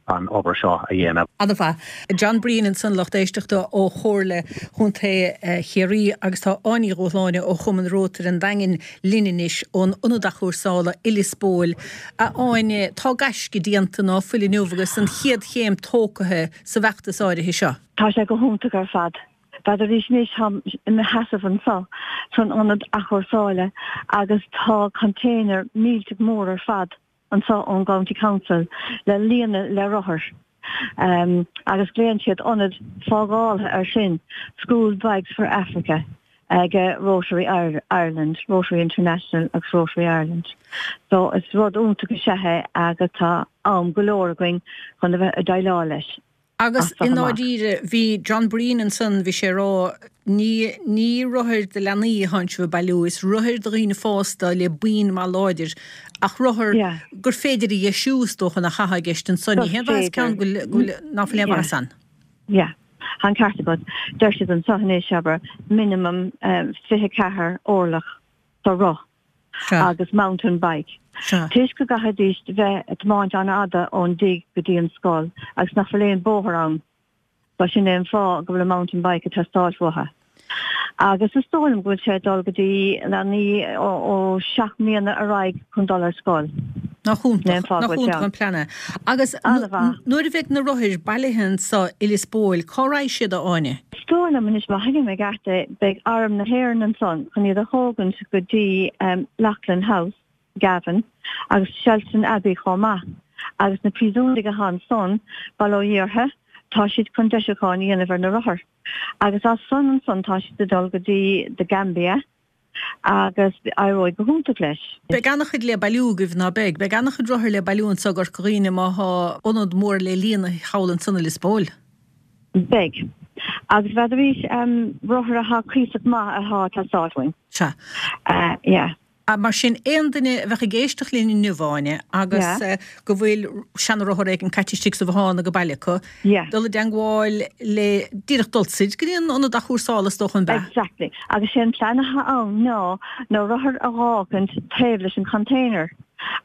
an obair seo a dhéanamh. Ana-mhaith. John Breen ansan, lucht éisteachta ó Chomhairle Chontae Chiarraí agus tá Áine Uí Dhúshláine ó Chumann Rótaire an Daingin linn anois ón Ionad Athchúrsála i Lios Póil. A Áine, tá gaisce déanta ná fuil inniu agus an chéad chéim tógtha sa bhfeachtas áirithe seo. Tá sé go hiontach ar fad. B'fhéidir anois táim i mo sheasamh anseo san ionad athchúrsála agus tá container millteach mór ar fad anseo ón gCounty Council le líonadh le rothair agus glaonn siad ionad fágála air sin, School Bikes for Africa. Ag Rotary Ireland, Rotary International agus Rotary Ireland. So is rud iontach is ea é agus tá am go leor againn chun a bheith ag déileáil leis Agus as i seo amach. ndáiríre, bhí John Breen ansan, bhí sé ag rá, ní, ní rothair do leanaí atánn sibh ag bailiú, is rothair do dhaoine fásta le boinn maith láidir, ach rothar Yeah. gur féidir a dheisiú is dócha nach ea atá i gceist ansan. Gur Ní haon mhaitheas féidir. ceann go bhfuil, go bhfuil, ná fuil aon Yeah. mhaitheas ann. Yeah. Tá an ceart agat. Deir siad anseo anois, abair, minimum 24 orlach sa roth agus mountain bike. Toisc go gcaithfidís bheith ag tiomáint an-fhada ón dtigh go dtí an scoil agus nach bhfuil aon bóthar ann. So sin é an fáth go bhfuil an mountain bike ag teastáil uathu. Agus is dóigh liom go bhfuil sé ag dul go dtí leanaí ó 7 mbliana ar aghaidh chun dul ar scoil. Nach iontach, nach iontach an plean é. Agus nuair a bheidh na rothair bailithe anso i Lios Póil, cá raghaidh siad, a Áine? Is dóigh liom anois, má thuigim i gceart é, beidh Arm na hÉireann ansan chun iad a thógaint go dtí Leighlin House, Gavin, agus Shelton Abbey chomh maith. Agus na príosúnaigh atá ansan, bail ó Dhia orthu, tá siad chun deisiúcháin a dhéanamh ar na rothair. Agus as san ansan tá siad ag dul go dtí The Gambia agus éireoidh go hiontach leis. Beidh an-chuid le bailiú agaibh, ná beidh? Beidh an-chuid rothar le bailiú anso i gCorca Dhuibhne má thá ionad mór le líonadh thall ansan i Lios Póil. Beidh. Agus bheadh arís rothar athá cuíosach maith athá ag teastáil uainn. Sea. Yeah. Mar sin, aon duine a bheadh ag éisteacht linn inniu, Áine, agus go bhfuil seana-rothar éigin caite istigh sa bhothán age baile acu, dul i dteangmháil le, díreach dul soir go dtí an ionad athchúrsála is dócha, an b'ea? Exactly. Agus sé an plean atá ann ná na rothair a dh'fhágaint taobh leis an container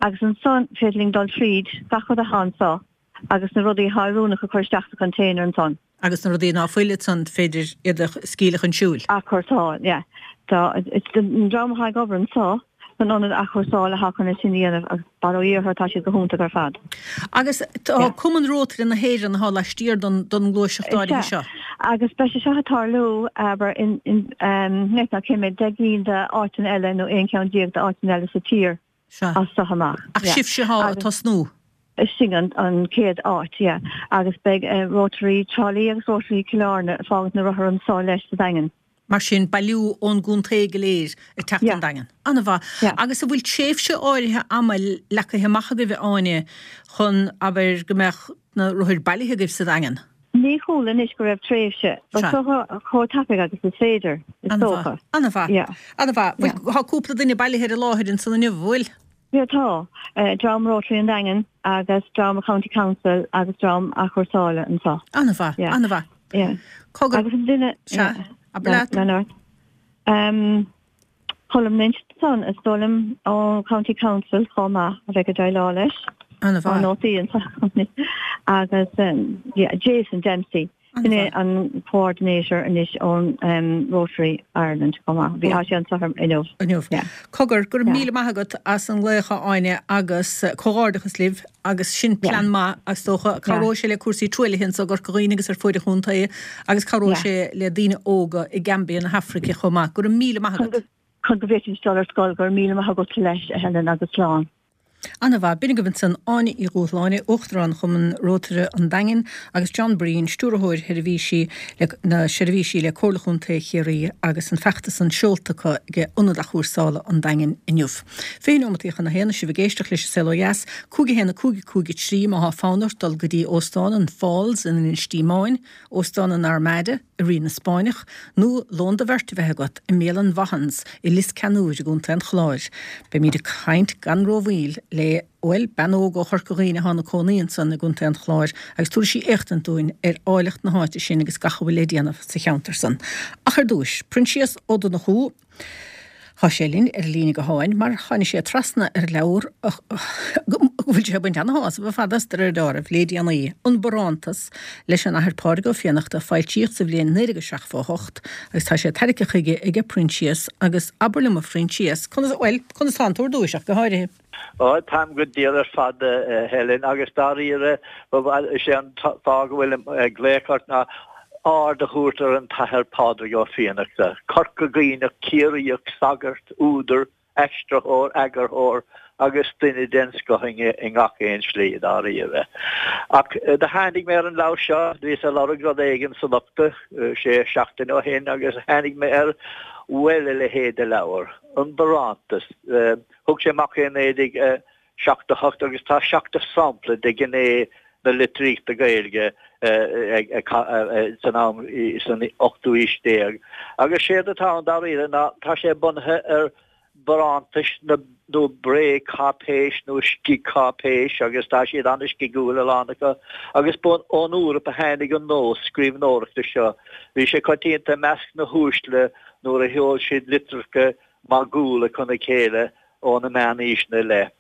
agus ansan féidir linn dul tríd gach rud atá anso agus na rudaí atá oiriúnach a chur isteach sa container ansan. Agus na rudaí ná fuil ansan féidir iad a scaoileadh chun siúil. Athchúrsáil, yeah. Tá, an dream atá ag obair anso san ionad athchúrsála atá chun é sin a dhéanamh agus bail ó Dhia orthu tá siad go hiontach ar fad. Agus tá Cumann Rótaire na hÉireann atá laistiar don don ngluaiseacht áirithe seo. Is ea. Agus beidh sé seo ag tarlú, abair, in, in, ná cé mhéad 10 gcinn d'áiteanna eile nó 11 ceann d'áiteanna eile sa tír. Sea. As seo amach. Ach sibhse atá ag tosnú. Sin an chéad áit, yeah. Agus beidh Rotary Trá Lí agus Rotary Chill Airne ag fágaint na rothar anso leis sa Daingean. Mar sin, bailiú ón gcontae go léir ag teacht Yeah. don Daingean. An-mhaith. Yeah. Agus an bhfuil tréimhse áirithe ama leagtha amach agaibh, a Áine, chun, abair, go mbeadh na rothair bailithe agaibh sa Daingean? Ní chuala anois go raibh tréimhse. But Sea. chomh tapaidh agus is féidir, is An-mhaith. dócha. An-mhaith. Yeah. An-mhaith. Yeah. Bhfuil, tá cúpla duine bailithe ar an láthair ansan inniu, an bhfuil? Yeah, tá. Dream Rotary an Daingin agus dream County Council agus dream athchúrsála anseo. An-mhaith. Yeah. An-mhaith. Yeah. Cogar. Agus an duine. Sea. Yeah. Abair leat. Lean ort. Um, Colm Lynch ansan, is dóigh liom, ó County Council chomh maith a bheidh ag déileáil leis. An-mhaith. Tá nótaí anseo agus yeah, Jason Dempsey. Sin é an coordinator anois ón Rotary Ireland chomh maith. Bhí sé anseo inniu. Inniu. Yeah. Cogar, go raibh Yeah. míle maith agat as an nglaoch a Áine agus comhghairdeachas libh agus sin plean maith is dócha. Cabhróidh sé le cúrsaí truaillithe anso i gCorca Dhuibhne agus ar fuaid an chontae agus cabhróidh sé le daoine óga i Gambia na hAfraice chomh maith. Go raibh míle maith agat. Chun go bhféadfaidís dul ar scoil, go raibh míle maith agat leis, a Helen, agus slán. An-mhaith. B'in agaibh ansan Áine Uí Dhúshláine, Uachtarán Chumann Rótaire an Daingin agus John Breen, Stiúrthóir Sheirbhísí le na Seirbhísí le Comhairle Chontae Chiarraí agus an feachtas san seolta acu ag Ionad Athchúrsála an Daingin inniu. 20 nóimeataí chun a haon is sibh ag éisteacht leis an Saol Ó Dheas, 5 1 5 5 3 má thá fonn ort dul go dtí Óstán an Falls in Inis Díomáin, Óstán an Armada i Rí na Spáinneach, nó lón do bheirt a bheith agat i mbialann Vaughan's i Lios Ceannúir i gContae an Chláir. Beimíd ag caint gan rómhoill le, bhuel, bean óg ó Chorca Dhuibhne atá ina cónaí ansan i gContae an Chláir agus tabharfaidh sí éachtaint dúinn ar áilleacht na háite sin agus gach a bhfuil le déanamh sa cheantar san. Ach ar dtúis, Proinsias Ó Donnchú. Tá sé linn ar an líne gutháin mar tháinig sé trasna ar leabhar go bhfuil sé ag baint ana-shásamh ar fad as de réir dealraimh le déanaí, An Barántas leis an Athair Pádraig Ó Fiannachta a foilsíodh sa bhliain 1978 agus tá sé tairgthe chuige aige Proinsias agus abair liom a Phroinsias, conas, bhuel, conas tánn tú ar dtúis ach go háirithe? Ó, táim go diail ar fad, a Helen, agus dáiríre, is é an fáth go bhfuilim ag glaoch ort ná aird a thabhairt ar an tAthair Pádraig Ó Fiannachta, Corca Dhuibhneach, Ciarraíoch, sagart, údar, aistritheoir, eagarthóir agus duine den scoth i ngach aon slí, dáiríre. Ach do tháinig mé ar an leabhar seo, bhíos ag lorg rud éigin sa lochta sé seachtaine ó shin agus tháinig mé air. Bhuel, a leithéid de leabhar, An Barántas, thug sé amach é i 1978 agus tá 70 sampla de ghné na litríochta Gaeilge san am san ochtú aois déag. Agus séard atá ann dáiríre ná tá sé bunaithe ar barántais nó bréagcháipéis nó scigcháipéis agus tá siad an-scigiúil a lán acu agus ba ón Eoraip a tháinig an nós scríbhneoireachta seo. Bhí sé coitianta i measc na huaisle nuair a sheol siad litreacha magúla chun a chéile ó na meánaoiseanna i leith.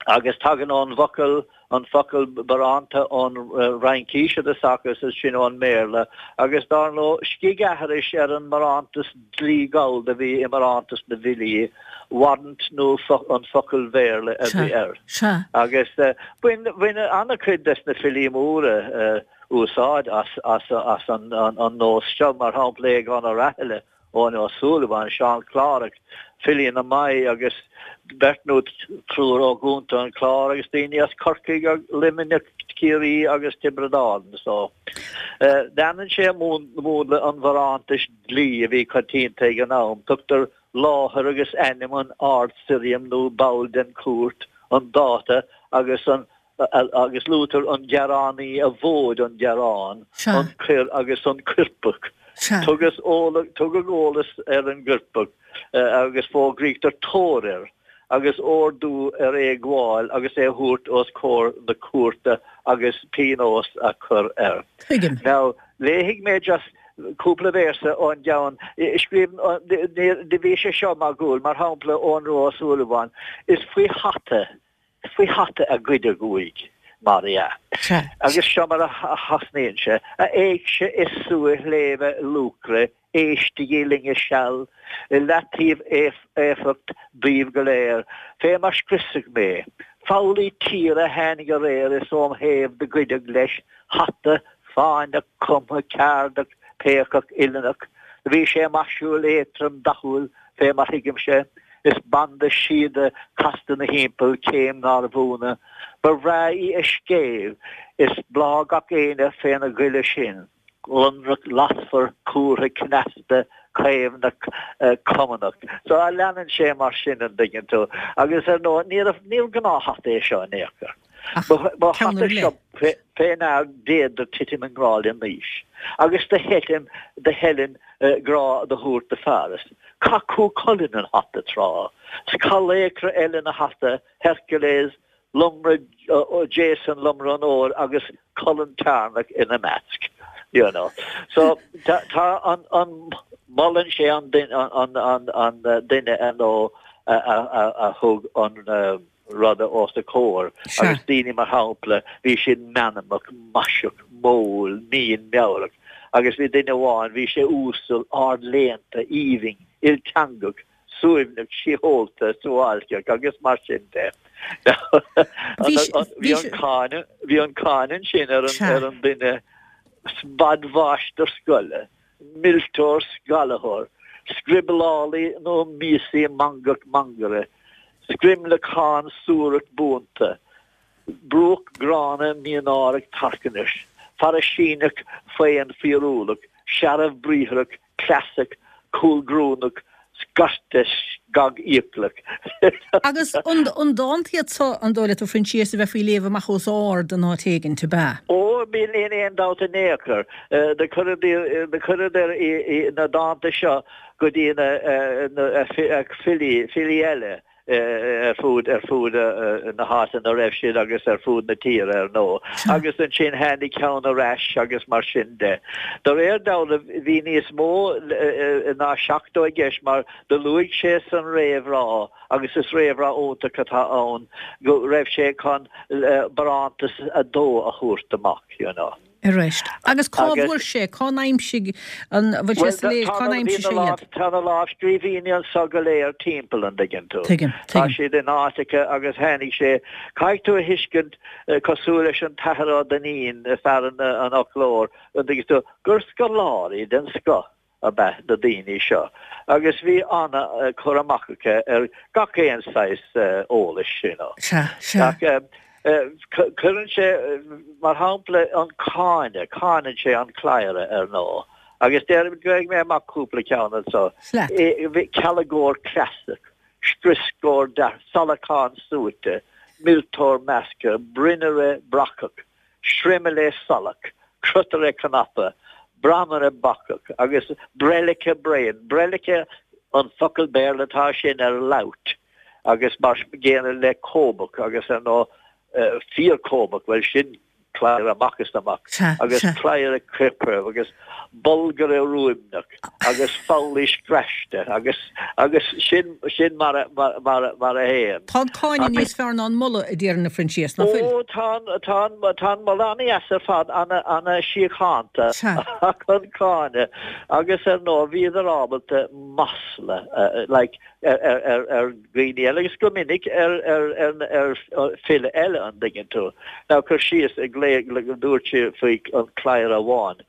Agus tagann ón bhfocal, an focal baránta ón Fhraincis i dtosach agus ansin ón mBéarla, agus dár ndóigh, scigaithris ar an mbarántas dlí gallda a bhí i mbarántas na bhfilí, warrant nó an focal Bhéarla a bhí air. Agus bhain, bhain an-chuid des na filí móra úsáid as, as, as an, an nós seo, mar shampla Aogán Ó Rathaille, Eoin Ó Súilleabháin, Seán Clárach, filí na Mí agus beirt nó triúr ó gContae an Chláir agus daoine as Corcaigh, Luimneach, Ciarraí agus Tiobraid Árann. So, leanann sé múnla an bharántais dlí a bhí coitianta ag an am. Tugtar láthair agus ainm an Ard-Sirriam nó ball den chúirt, an dáta agus an agus luaitear an gearánaí a mhóid an gearán, an coir agus an coirpeach. Tugadh eolas ar an gcoirpeach agus fógraítear tóir air agus ordú ar é a ghabháil agus é a thabhairt os comhair na cúirte agus pionós a chur air. Tuigim. Now, léifidh mé just cúpla véarsa ón gceann. Scríobh, bhí sé seo magúil, mar shampla, Eoghan Rua Ó Súilleabháin, Is faoi hata faoi hata a goideadh uaidh, mar dhea. Agus seo mar a thosnaíonn sé, A éigse is suaith shléibhe Luachra, éistigí linne seal, i leataobh éifeacht daoibh go léir, fé mar scriosadh mé. Foghlaí tíre tháinig aréir is óm thaobh do goideadh leis hata fáinneach, cumtha, ceardach, péacach, uilleannach. Do bhí sé maisiúil, éadtrom, dathúil, fé mar thuigimse. Is banda síoda casta 'na thimpeall, céim nárbh ionadh. Ba bhreá í a scéimh, is bláth gach éinne féna ghile sin, lonrach, lasmhar, cumhartha, cneasta, caomhnach, cumannach. So leanann sé mar sin, an dtuigeann tú. Agus ar ndóigh, níorbh, níorbh gnáth-hata é seo in aon chor. Ba hata seo fé ndear d'fhéadfadh titim i ngrá le Naois, agus do Heilim, do Helen grá do thabhairt do Pharis. Chaith Cú Chulainn an hata tráth, 's chaith laochra eile na hata, Hercules, Lomra, Jason, Lomra an Óir agus Colann Cearnach ina measc. You know. So tá tá an an molann sé an duine an an an duine ar ndóigh a a a a thug an ruda os a comhair agus daoine mar shampla bhí siad meanmnach, maiseach, modhúil, mín, meabhrach agus bhí duine amháin, bhí sé uasal, ardléannta, aoibhinn, ilteangach, suaimhneach, sísheolta, suáilceach agus mar sin de. Bhí an cáineadh, bhí an cáineadh ansin ar an, ar an duine spad-mháistir scoile, millteoir scallaitheoir, scrioblálaí nó miasaí mangach mangaire, screimleacán suarach buanta, brúcht gránna mínáireach tarcaisneach, fairisíneach faon fíorúlach, searbh-bhriathrach, cleasach, cúlghrúnach, scairte scagfhiaclach. Agus an dánta iad so, an dóigh leat, a Phroinsias, a bheifí ag léamh amach os ard in áit éigint, ab ea? Ó, níl aon dabht in aon chor. Do chuireadar na dánta seo go dtí na filí, filí eile. ar fud ar fud na háite ina raibh siad agus ar fud na tíre ar ndóigh. Agus ansin tháinig ceann ar ais agus mar sin de. De réir dealraimh bhí níos mó ná 70 i gceist mar do luaigh sé san réamhrá, agus is réamhrá iontach atá ann, go raibh sé chun barántas a dó a thabhairt amach, you know. Arís. Agus cá bhfuair sé, cá n-aimsigh an, bhfuil sé soiléir, cá n-aimsigh sé iad? Tá na lámhscríbhinní anso go léir timpeall, an dtuigeann tú. Tuigim, tuigim. Tá siad in áiteacha agus tháinig sé, caithfidh tú a thuiscint, cosúil leis an tAthair Ó Duinnín, fear an fhoclóir, an dtuigeann tú, gur scoláirí den scoth ab ea na daoine seo agus bhí an-chur amach acu ar gach aon saghas eolais, you know. Sea, sea. Ach cuireann sé, mar shampla, an cáineadh, cáineann sé an cladhaire, ar ndóigh. Agus déarfaidh gheobhaidh mé amach cúpla ceann anso. Cealgóir cleasach, scrioscóir dearc, salachán suaite, milteoir measctha, brionnaire bracach, screimile salach, crotaire cnaipe, bramaire bacach agus breilice bréan. Breilice an focal Béarla atá sin ar lout agus mar gcéanna le cóbach agus ar ndóigh fíor-chóbach, bhuel sin cladhaire amach is amach agus cladhaire coirpre agus bolgaire ruaimneach agus foghlaí scraiste agus agus sin sin mar a mar a mar a théann. Tá an cáineadh níos fearr ná an moladh, a déarfainn, a Phroinsias, ná fuil? Ó tá an tá an tá an moladh ana-dheas ar fad, ana ana síochánta ach an cáineadh agus ar ndóigh bhíodar ábalta masla like ar ar dhaoine eile agus go minic ar ar file eile an dtuigeann tú. Now cur síos ag glaoch dúirt sé faoi an cladhaire amháin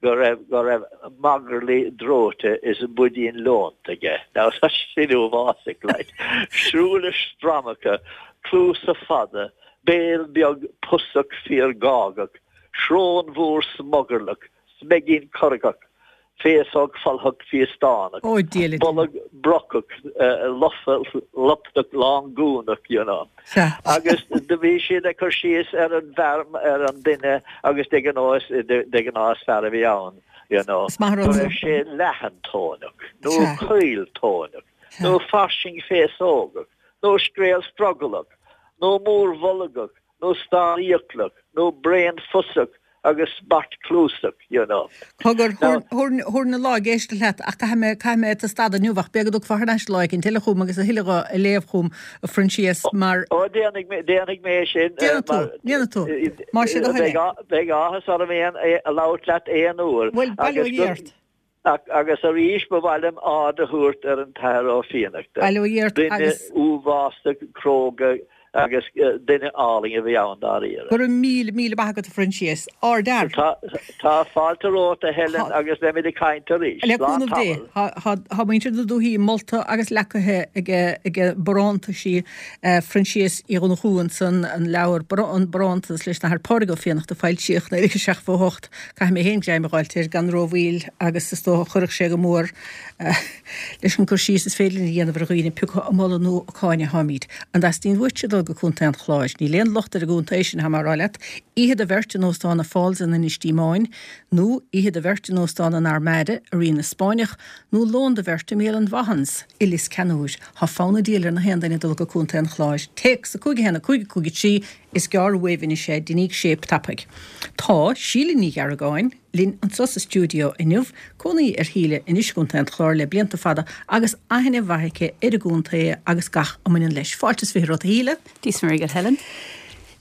go raibh go raibh magairlí dreoite is buidín leonta aige. Now tá sin uafásach like. Súile stramacha, cluasa fada, béal beag pusach fíorghágach, srón mhór smugairleach, smeigín corcach, féasóg phollach phiastánach, Ó, Dia le Dia. bolg brocach, lofa lupnach lángúnach, you know. Sea. Agus do bhí siad ag cur síos ar an bhfear, ar an duine agus de ghnáth, de ghnáth is fear a bhí ann, you know, Is maith an go rud raibh sé leathantóineach, nó Sea. caoltóineach, Sea. nó fairsing féasógach, nó scréal scrogallach, nó mórbholgach, nó stánfhiaclach, nó braonphusach agus spartchluasach, you know. Cogar, thabharfainn an lá ag éisteacht leat ach caithfidh mé, caithfidh mé tú a stadadh inniu ach b'fhéidir go dtiocfá thar n-ais lá éicint eile chugam agus a thuilleadh a léamh chugam, a Phroinsias, mar. Ó, déanfaidh mé, déanfaidh mé sin, Déanfaidh tú, déanfaidh tú, más é do thoil é. Beidh áthas orm aon, labhairt leat aon uair. Bhuel, bail ó Dhia ort. Agus arís ba mhaith liom aird a thabhairt ar an tAthair Ó Fiannachta. Bail ó Dhia ort Duine agus. uafásach cróga agus duine álainn a bhí ann dáiríre. Go raibh míle, míle maith agat a Phroinsias. Ardfhear. Tá, tá fáilte romhat a Helen agus beimid ag caint arís. Le Slán cúnamh Dé. tamall. Tá, tá muintir na dúthaí molta agus leacaithe ag, ag barántaisí Phroinsias Uí Dhonnchú ansan, an leabhar, An Barántas leis an Athair Pádraig Ó Fiannachta a foilsíodh 1978. Caithfidh mé féin greim a dh'fháilt air gan rómhoill agus is dócha chuirfeadh sé go mór leis an gcur síos is féidir linn a dhéanamh ar dhaoine pé acu ag moladh nó ag cáineadh atáimid. An dteastaíonn uaitse dul go Contae an Chláir? Níl aon locht ar an gcontae sin, tá mé a rá leat. Oíche do bheirt in Óstán na Falls in Inis Díomáin, nó oíche do bheirt in Óstán an Armada i Rí na Spáinneach, nó lón do bheirt i mBialann Vaughan's i Lios Ceannúir. Tá fonn an diabhail ar na haon duine dul go Contae an Chláir. Téacs 5 1 5 5 3 Is gearr uaibh anois é, deiníg séip tapaidh. Tá Síle Ní Ghearragáin linn anseo sa stiúideo inniu, cónaí ar Shíle anois i gContae an Chláir le blianta fada agus aithne mhaith aici ar an gcontae agus gach a mbaineann leis. Fáilte is 20 romhat a Shíle. Dia is Muire dhuit Helen.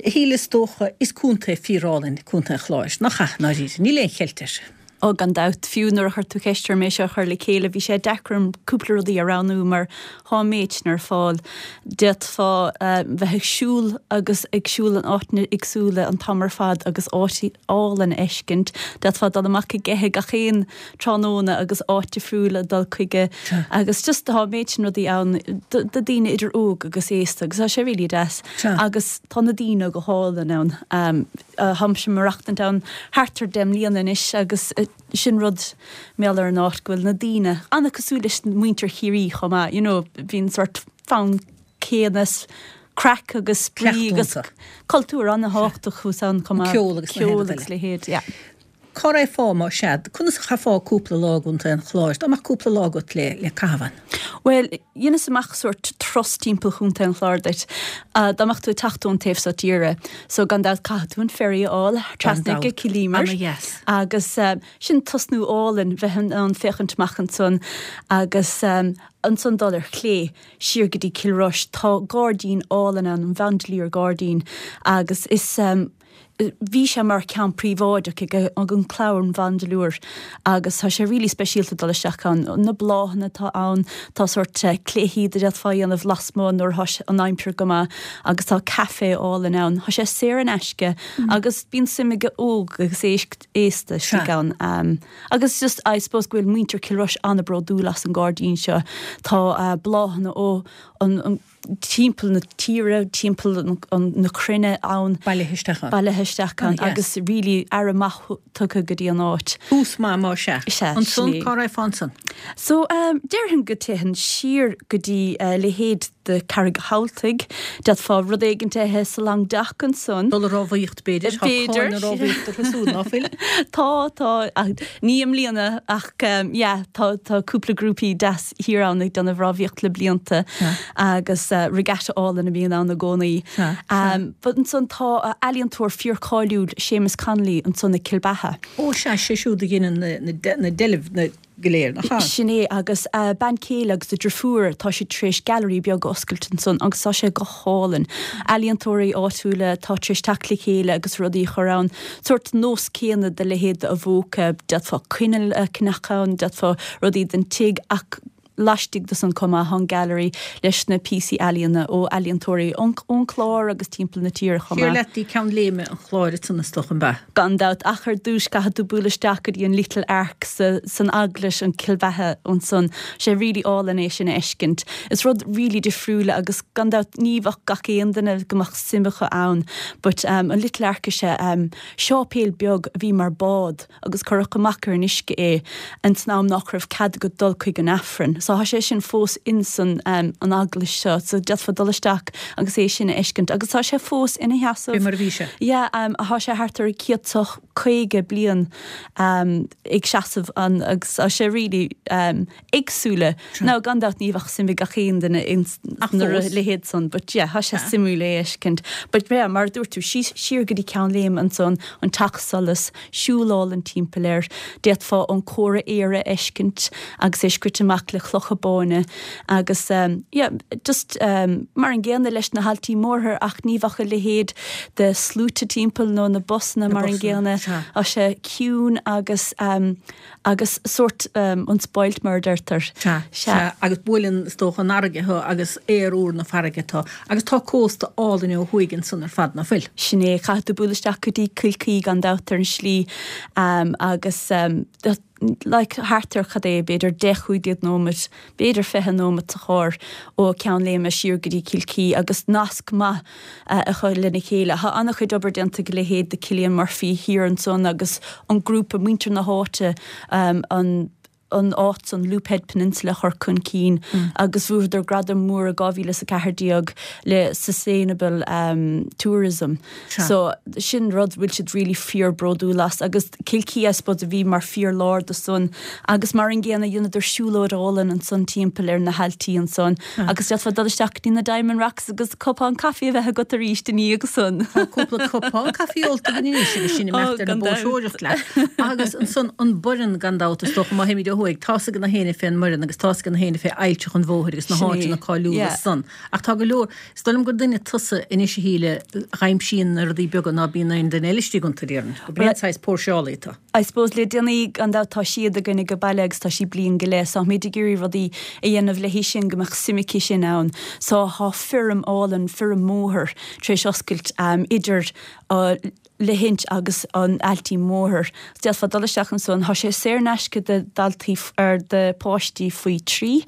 A Shíle, is dócha, is contae fíorálainn Contae an Chláir, nach ea, i ndáiríre? Níl aon cheilt air. Ó, gan dabht. Fiú nuair a chuir tú ceist orm é seo a chur le chéile, bhí sé deacair orm cúpla rudaí a roghnú mar thá an méid sin ar fáil. D'fhéadfá bheith ag siúl agus ag siúl in áiteanna éagsúla an t-am ar fad agus áit álainn a fheiscint. D'fhéadfá dul amach ag ithe gach aon tráthnóna agus áit difriúil a dul chuige agus just tá an méid sin rudaí ann do daoine idir óg agus aosta agus tá sé really deas. Agus tá na daoine go hálainn ann. Táimse ag maireachtaint ann thart ar 10 mbliana anois agus sin rud mar gheall ar an áit go bhfuil na daoine an-cosúil leis muintir Chiarraí chomh maith, you know, bíonn sort fonn céanna craic agus spraoi agus cultúr an-thábhachtach thuas ann chomh maith. Ceol agus Ceol agus leithéid, yeah. Cá raghfá más ea? Conas a chaithfeá cúpla lá i gContae an Chláir? Dá mbeadh cúpla lá agat le le caitheamh ann. Bhuel, dheineas amach sórt turas timpeall Chontae an Chláir duit. Dá mbeadh tú ag teacht ón taobh seo tíre. So gan dabht caithfidh tú an ferry a fháil trasna go Cill Íomair. Ana-dheas. Agus sin tosnú álainn bheith in ann féachaint amach ansan agus ansan dul ar chlé siar go dtí Cill Rois. Tá gairdín álainn ann, an Vandeleur Gairdín, agus is Bhí sé mar ceann príobháideach ag an clann Vandeleur agus tá sé really speisialta dul isteach ann. Na bláthanna atá ann, tá sórt cluichí a d'fhéadfá a dhéanamh lasmuigh nuair atá an aimsir go maith agus tá caife álainn ann. Tá sé saor in aisce agus bíonn suim ag óg agus aosta istigh ann. Agus just I suppose go bhfuil muintir Cill Rois an-bhródúil as an gairdín seo. Tá bláthanna ó an timpeall na tíre, timpeall na cruinne ann. Bailithe isteach ann. Bailithe. isteach ann agus really aire maith tugtha go dtí an áit. Tús maith más ea. Sea, Ansan, cá raghfá ansan? So, déarfainn go dtéifinn siar go dtí a leithéid de Carraig Thabhaltaigh. D'fhéadfá rud éigint a ithe sa Long Dock ansan. Dul ag rámhaíocht, b'fhéidir. Tá cáil na rámhaíochta orthu súd, ná fuil? Tá, tá. Ní i mbliana ach yeah, tá, tá cúpla grúpaí deas thiar ann ag déanamh rámhaíocht le blianta agus regatta álainn a bhíonn ann i gcónaí. But ansan tá ealaíontóir fíor cáiliúil, Séamus Connolly, ansan i Cill Beatha. Ó sea, sé siúd a dheineann na deilbh na go léir, nach ea? Sin é, agus a bean chéile agus a driofúr, tá siad tar éis gailearaí beag a oscailt ansan agus tá sé go hálainn. Ealaíontóirí áitiúla atá tar éis teacht le chéile agus rudaí a chur ann, sórt nós céanna de leithéid de Avoca, d'fhéadfá coinneal a cheannach ann, d'fhéadfá rudaí don tigh ach laistigh de san chomh maith, tá an gallery leis na píosaí ealaíona ó ealaíontóirí ón Chlár agus timpeall na tíre chomh maith. Siar leat dtí Ceann Léime an Chláir ansan is dócha, an b'ea? Gan dabht, ach ar dtúis caithfidh tú bualadh isteach go dtí an Little Ark sa san eaglais, an Cill Bheatha ansan. Sé really álainn é sin a fheiscint. Is rud really difriúil agus gan dabht ní bheadh gach aon duine go mbeadh suim acu ann but an Little Ark is ea séipéal beag a bhí mar bád. agus cuireadh amach ar an uisce é ins an am nach raibh cead agat dul chuig an Aifreann. So thá sé sin fós ins an an eaglais seo so d'fhéadfá dul isteach agus é sin a fheiscint agus tá sé fós ina sheasamh. Fé mar a bhí sé. Yeah, thá sé thart ar 150 bliain ag seasamh ann agus tá sé really éagsúla. Now gan dabht ní bheadh suim ag gach aon duine ins na leithéid san but yeah thá sé suimiúil é a fheiscint. But yeah mar a dúirt tú síos siar go dtí Ceann Léime ansan, an Teach Solais, siúl álainn timpeall air. D'fhéadfá an comhartha Éire a fheiscint agus é scrite amach le clocha báine agus yeah just mar an gcéanna leis na hAiltí Mórthair ach ní bheadh a leithéid de sluaite timpeall nó na busanna mar an gcéanna. Tá sé ciúin agus agus sórt unspoilt mar a deirtear. Sea, sea, agus buaileann is dócha an fharraige thú agus aer úr na farraige tú agus tá cósta álainn ó thuaidh ansan ar fad, ná fuil? Sin é, caithfidh tú bualadh isteach go dtí Cill Chaoi gan dabht ar an slí agus like thart ar cad é, b'fhéidir 10, 15 nóimeat, b'fhéidir 20 nóimeat sa charr ó Ceann Léime siar go dtí Cill Chaoi agus nasc maith acu lena chéile. Tá an-chuid obair déanta ag a leithéid de Cillian Murphy thiar ansan agus an grúpa, muintir na háite, an an áit san, Loop Head Peninsula a chur chun cinn agus bhuadar gradam mór i 2014 le Sustainable Tourism. So sin rud bhfuil siad really fíor bródúil as agus Cill Chaoi I suppose a bhí mar fíor lár do san agus mar an gcéanna dheineadar siúlóid álainn ansan timpeall ar na hailtí ansan. Agus d'fhéadfá dul isteach go dtí na Diamond Rocks agus cupán caife a bheith agat arís ina dhiaidh san. Tá cúpla cupán caife ólta againn anois agus sinn ag imeacht ar an bpóirseoireacht leat. Agus ansan an Boireann gan dabht is dócha má théimid ó thuaidh, tá's ag na héinne fén mBoireann agus tá's ag na héinne fé Aillteach an Bhóthair agus na háiteanna cáiliúla san. Ach tá go leor, is dóigh liom gur duine tusa anois a Shíle a dh'aimsíonn na rudaí beaga ná bíonn aon duine eile istigh iontu, déarfainn. Gurb é an saghas póirseálaí tú. I suppose le déanaí gan dabht tá Síad againn ag an baile agus tá sí bliain go leith so táimid ag iarraidh rudaí a dhéanamh léi sin go mbeadh suim aici sin ann. So thá feirm álainn, feirm mhóthair tar éis oscailt idir Leithinse agus an Ailtí Mhóthair. D'fhéadfá dul isteach ansan. Thá sé saor in aisce do daltaí ar do páistí faoi 3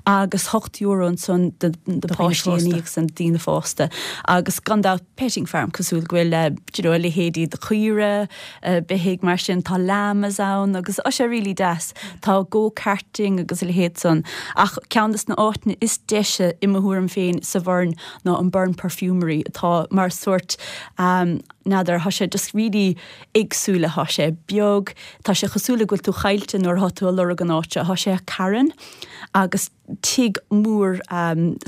agus €8 ansan do páistí ina dhiaidh san, daoine fásta. Agus gan dabht petting farm cosúil go bhfuil do you know a leithéidí de caoire, beithígh mar sin, tá llamas ann agus tá sé really deas. Tá go karting agus a leithéid san. Ach ceann des na áiteanna is deise i mo thuairim féin sa Bhoirn ná an Burren Perfumery atá mar sórt n'fheadar, tá sé just really éagsúil, tá sé beag, tá sé cosúil le go bhfuil tú caillte nuair atá tú ag lorg an áit seo. Tá sé ar carn agus tigh mór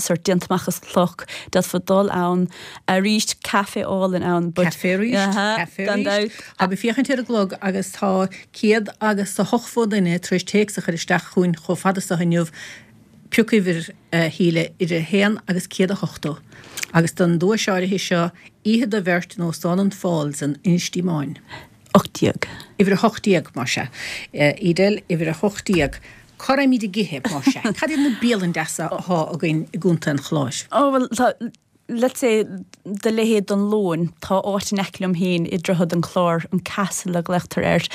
sórt déanta amach as cloch, d'fhéadfá dul ann arís, caife álainn ann but. Caife arís, caife arís. Tá mé ag féachaint ar an gclog agus tá céad agus a hochtó duine tar éis téacs a chur isteach chugainn chomh fada so inniu. Pioc uimhir, a Shíle, idir a haon agus 180 agus don duais áirithe seo, oíche do bheirt in Óstán an Falls in Inis Díomáin. 18. Uimhir 18, más ea. Edel, uimhir 18. Cá raghaimid ag ithe, más ea? Cad iad na bialanna deasa athá againn i gContae an Chláir? Ó, bhuel, tá, let's say, do leithéid don Lóin, tá áit in aice liom féin i Droichead an Chláir, an Castle a ghlaotar air,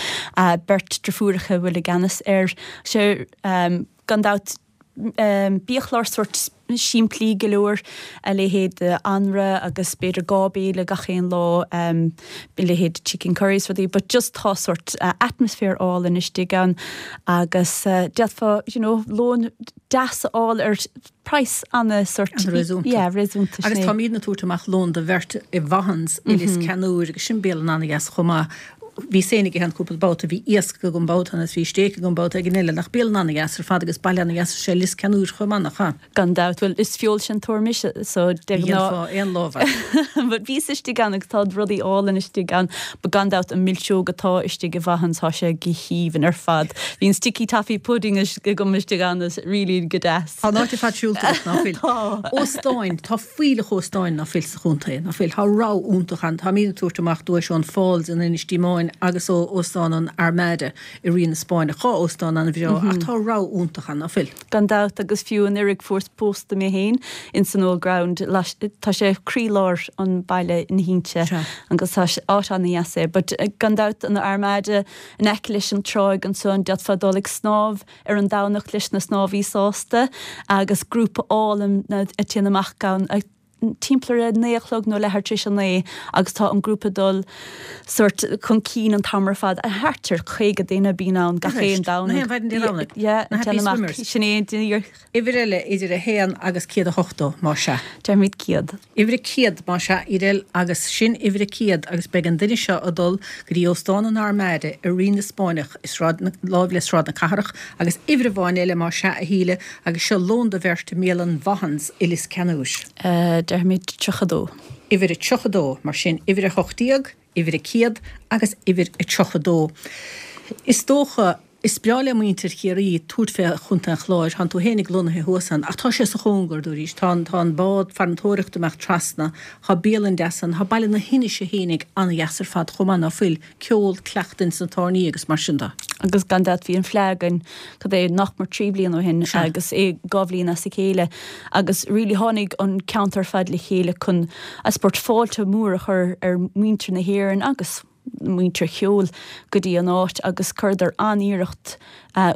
beirt driofúracha a bhfuil i gceannas air. Sé, gan dabht, biachlár sórt simplí go leor, a leithéid de anraith agus b'fhéidir 2 béile gach aon lá, a leithéid de chicken curry is rudaí, but just tá sórt atmaisféar álainn istigh ann agus d'fhéadfá, you know, lón deas a fháil ar praghas ana sórt, An-réasúnta. yeah, réasúnta, sin Agus é. táimidne ag tabhairt amach lón do bheirt i Vaughan's i Lios Ceannúir agus sin bialann ana-dheas chomh maith. Bhíos féin ag ithe ann cúpla babhta, bhí iasc agam babhta ann agus bhí stéic agam babhta éigin eile. Nach bialann ana-dheas ar fad agus baile ana-dheas is ea Lios Ceannúir chomh maith, nach ea? Gan dabht. Bhuel, is feoilséantóir mise, so de Ní ghnáth. dhéanfá aon lámh air. But bhíos istigh ann agus tá rudaí álainn istigh ann. But gan dabht an milseog atá istigh i Vaughan's, tá sé go haoibhinn ar fad. Bhí an sticky toffee pudding agam istigh ann, is really go deas. Tá an áit ar fad siúlta agat, ná fuil? Tá. Óstáin, tá fuílleach óstáin ná fuil sa chontae, ná fuil? Tá rogha iontach ann. Táimid ag tabhairt amach duais ón Falls in Inis Díomáin agus ó Óstán an Armada i Rí na Spáinne. Dhá óstán an-bhreá ach tá rogha iontach ann, ná fuil? Gan dabht, agus fiú anuraidh fuaireas pósta mé féin ins an Old Ground, tá sé croílár an baile ina thinte agus tá áit ana-dheas é. But gan dabht an Armada in aice leis an tráigh ansan, d'fhéadfá dul ag snámh ar an Domhnach leis na snámhaí sásta agus grúpa álainn a téann amach ann. Timpeall ar a naoi a chlog nó leathuair tar éis a naoi agus tá an grúpa ag dul sórt chun cinn an t-am ar fad. Thart ar 50 duine a bíonn ann gach aon Domhnach. Na haon mhaidin Dé Domhnaigh? Yeah, Na Happy Swimmers. Sin é an Uimhir eile idir 1 agus 180, más ea. Déarfaimid 100. Uimhir 100, más ea, Edel, agus sin uimhir 100 agus beidh an duine seo ag dul go dtí Óstán an Armada i Rí na Spáinneach i Sráid na, láimh le Sráid na Cathrach agus uimhir amháin eile, más ea, a Shíle, Agus seo lón do bheirt i mbialann Vaughan's i Lios Ceannúir. Déarfaimid 32. Uimhir a 32, mar sin, uimhir 18, uimhir a 100 agus uimhir a 32. Is dócha, is breá le muintir Chiarraí tabhairt fé Chontae an Chláir, tánn tú fhéinig lonnaithe thuas ann, ach tá sé sa chóngar dó arís, tá an, tá an bád farantóireachta amach trasna, tá bialann deas ann, tá baile na hInise fhéinig an-dheas ar fad chomh maith, ná fuil? ceol, cleachtadh ins na tábhairní agus mar sin de. Agus gan dabht bhí an Fleadh againn, cad é, nach mór 3 bliana ó shin agus é 2 bhliain as a chéile agus really tháinig an ceantar ar fad le chéile chun I suppose fáilte mhór a chur ar mhuintir na hÉireann agus muintir cheoil go dtí an áit agus chuireadar an-iarracht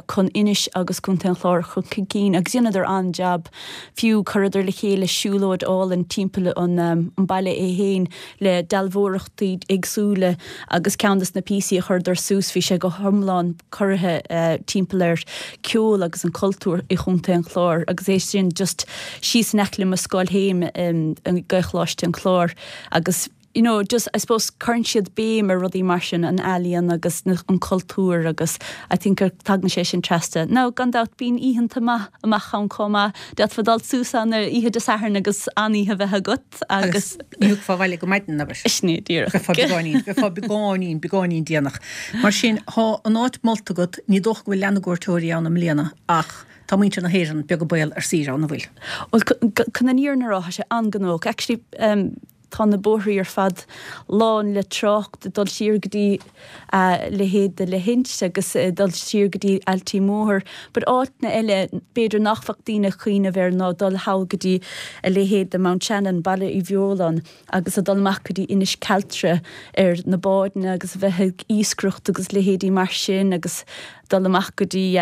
chun Inis agus Contae an Chláir a chur chun cinn agus dheineadar an-jab. Fiú chuireadar le chéile siúlóid álainn timpeall an baile é fhéin le dealbhóireachtaí éagsúla agus ceann des na píosaí a chuireadar suas bhí sé go hiomlán curtha timpeall ar ceol agus an cultúr i Chontae an Chláir agus é sin just síos in aice le mo scoil fhéin i Gaelcholáiste an Chláir agus you know, just, I suppose, cuireann siad béim ar rudaí mar sin, an ealaíon agus na, an cultúr agus I think gur tagann sé sin trasna. Now, gan dabht, bíonn oícheanta maith amach ann chomh maith. D'fhéadfá dul suas ann ar oíche Dé Sathairn agus an-oíche a bheith agat agus. Ní thiocfá abhaile go maidin, abair. Sin é, díreach. Bheifeá beagáinín, bheifeá beagáinín, beagáinín déanach. Mar sin, thá an áit molta agat, ní dócha go bhfuil leath na gcuairteoirí ann i mbliana ach tá muintir na hÉireann beag an baol ar saoire ann, an bhfuil? Bhuel, chun an fhírinne a rá, tá sé an-ghnóthach. Actually, Tá na bóithrí ar fad lán le trácht ag dul siar go dtí a leithéid de Leithinse agus ag dul siar go dtí Ailtí Mór. But áiteanna eile b'fhéidir nach bheadh daoine ag cuimhneamh air ná dul thall go dtí a leithéid de Mount Shannon, Baile Uí Bheoláin agus ag dul amach go dtí Inis Cealtra ar na bádanna agus a bheith ag iascaireacht agus leithéidí mar sin agus dul amach go dtí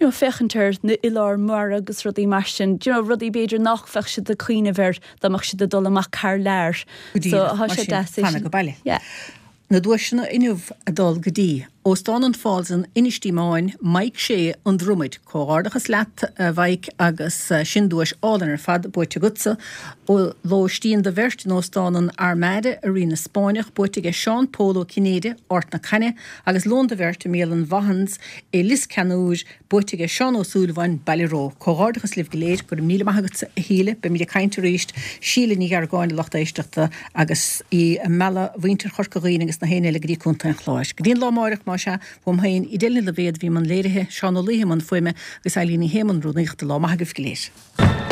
you know féachaint ar na oileáin mhara agus rudaí mar sin, you know rudaí b'fhéidir nach bheadh siad ag cuimhneamh air dá mbeadh siad ag dul amach thar lear. Go díreach, mar sin, fanadh go baile. Yeah. Na duaiseanna inniu ag dul go dtí, Óstán an Falls in Inis Díomáin, Mike Shea, An Dromaid. Comhghairdeachas leat, a Mhike, agus sin duais álainn ar fad buaite agatsa. Lóistín do bheirt in Óstán an Armada i Rí na Spáinneach, buaite aige Seán Pól Ó Cinnéide, Ard na Caithne, agus lón do bheirt i mbialann Vaughan's i Lios Ceannúir, Buaite aige Seán Ó Súilleabháin, Baile Ró. Comhghairdeachas libh go léir. Go raibh míle maith agatsa, a Shíle. Beimid ag caint arís. Síle Ní Gheargáin, a lucht éisteachta, agus í ag mealladh mhuintir Chorca Dhuibhne agus na héinne eile go dtí Contae an Chláir. Go dtí an lá amáireach, más ea, uaim féin, Edel Ní Loibhéad, a bhí i mbun léirithe, Seán Ó Laoithe i mbun fuaime agus Eilín Ní Shé i mbun rúnaíochta. Lá maith agaibh go léir.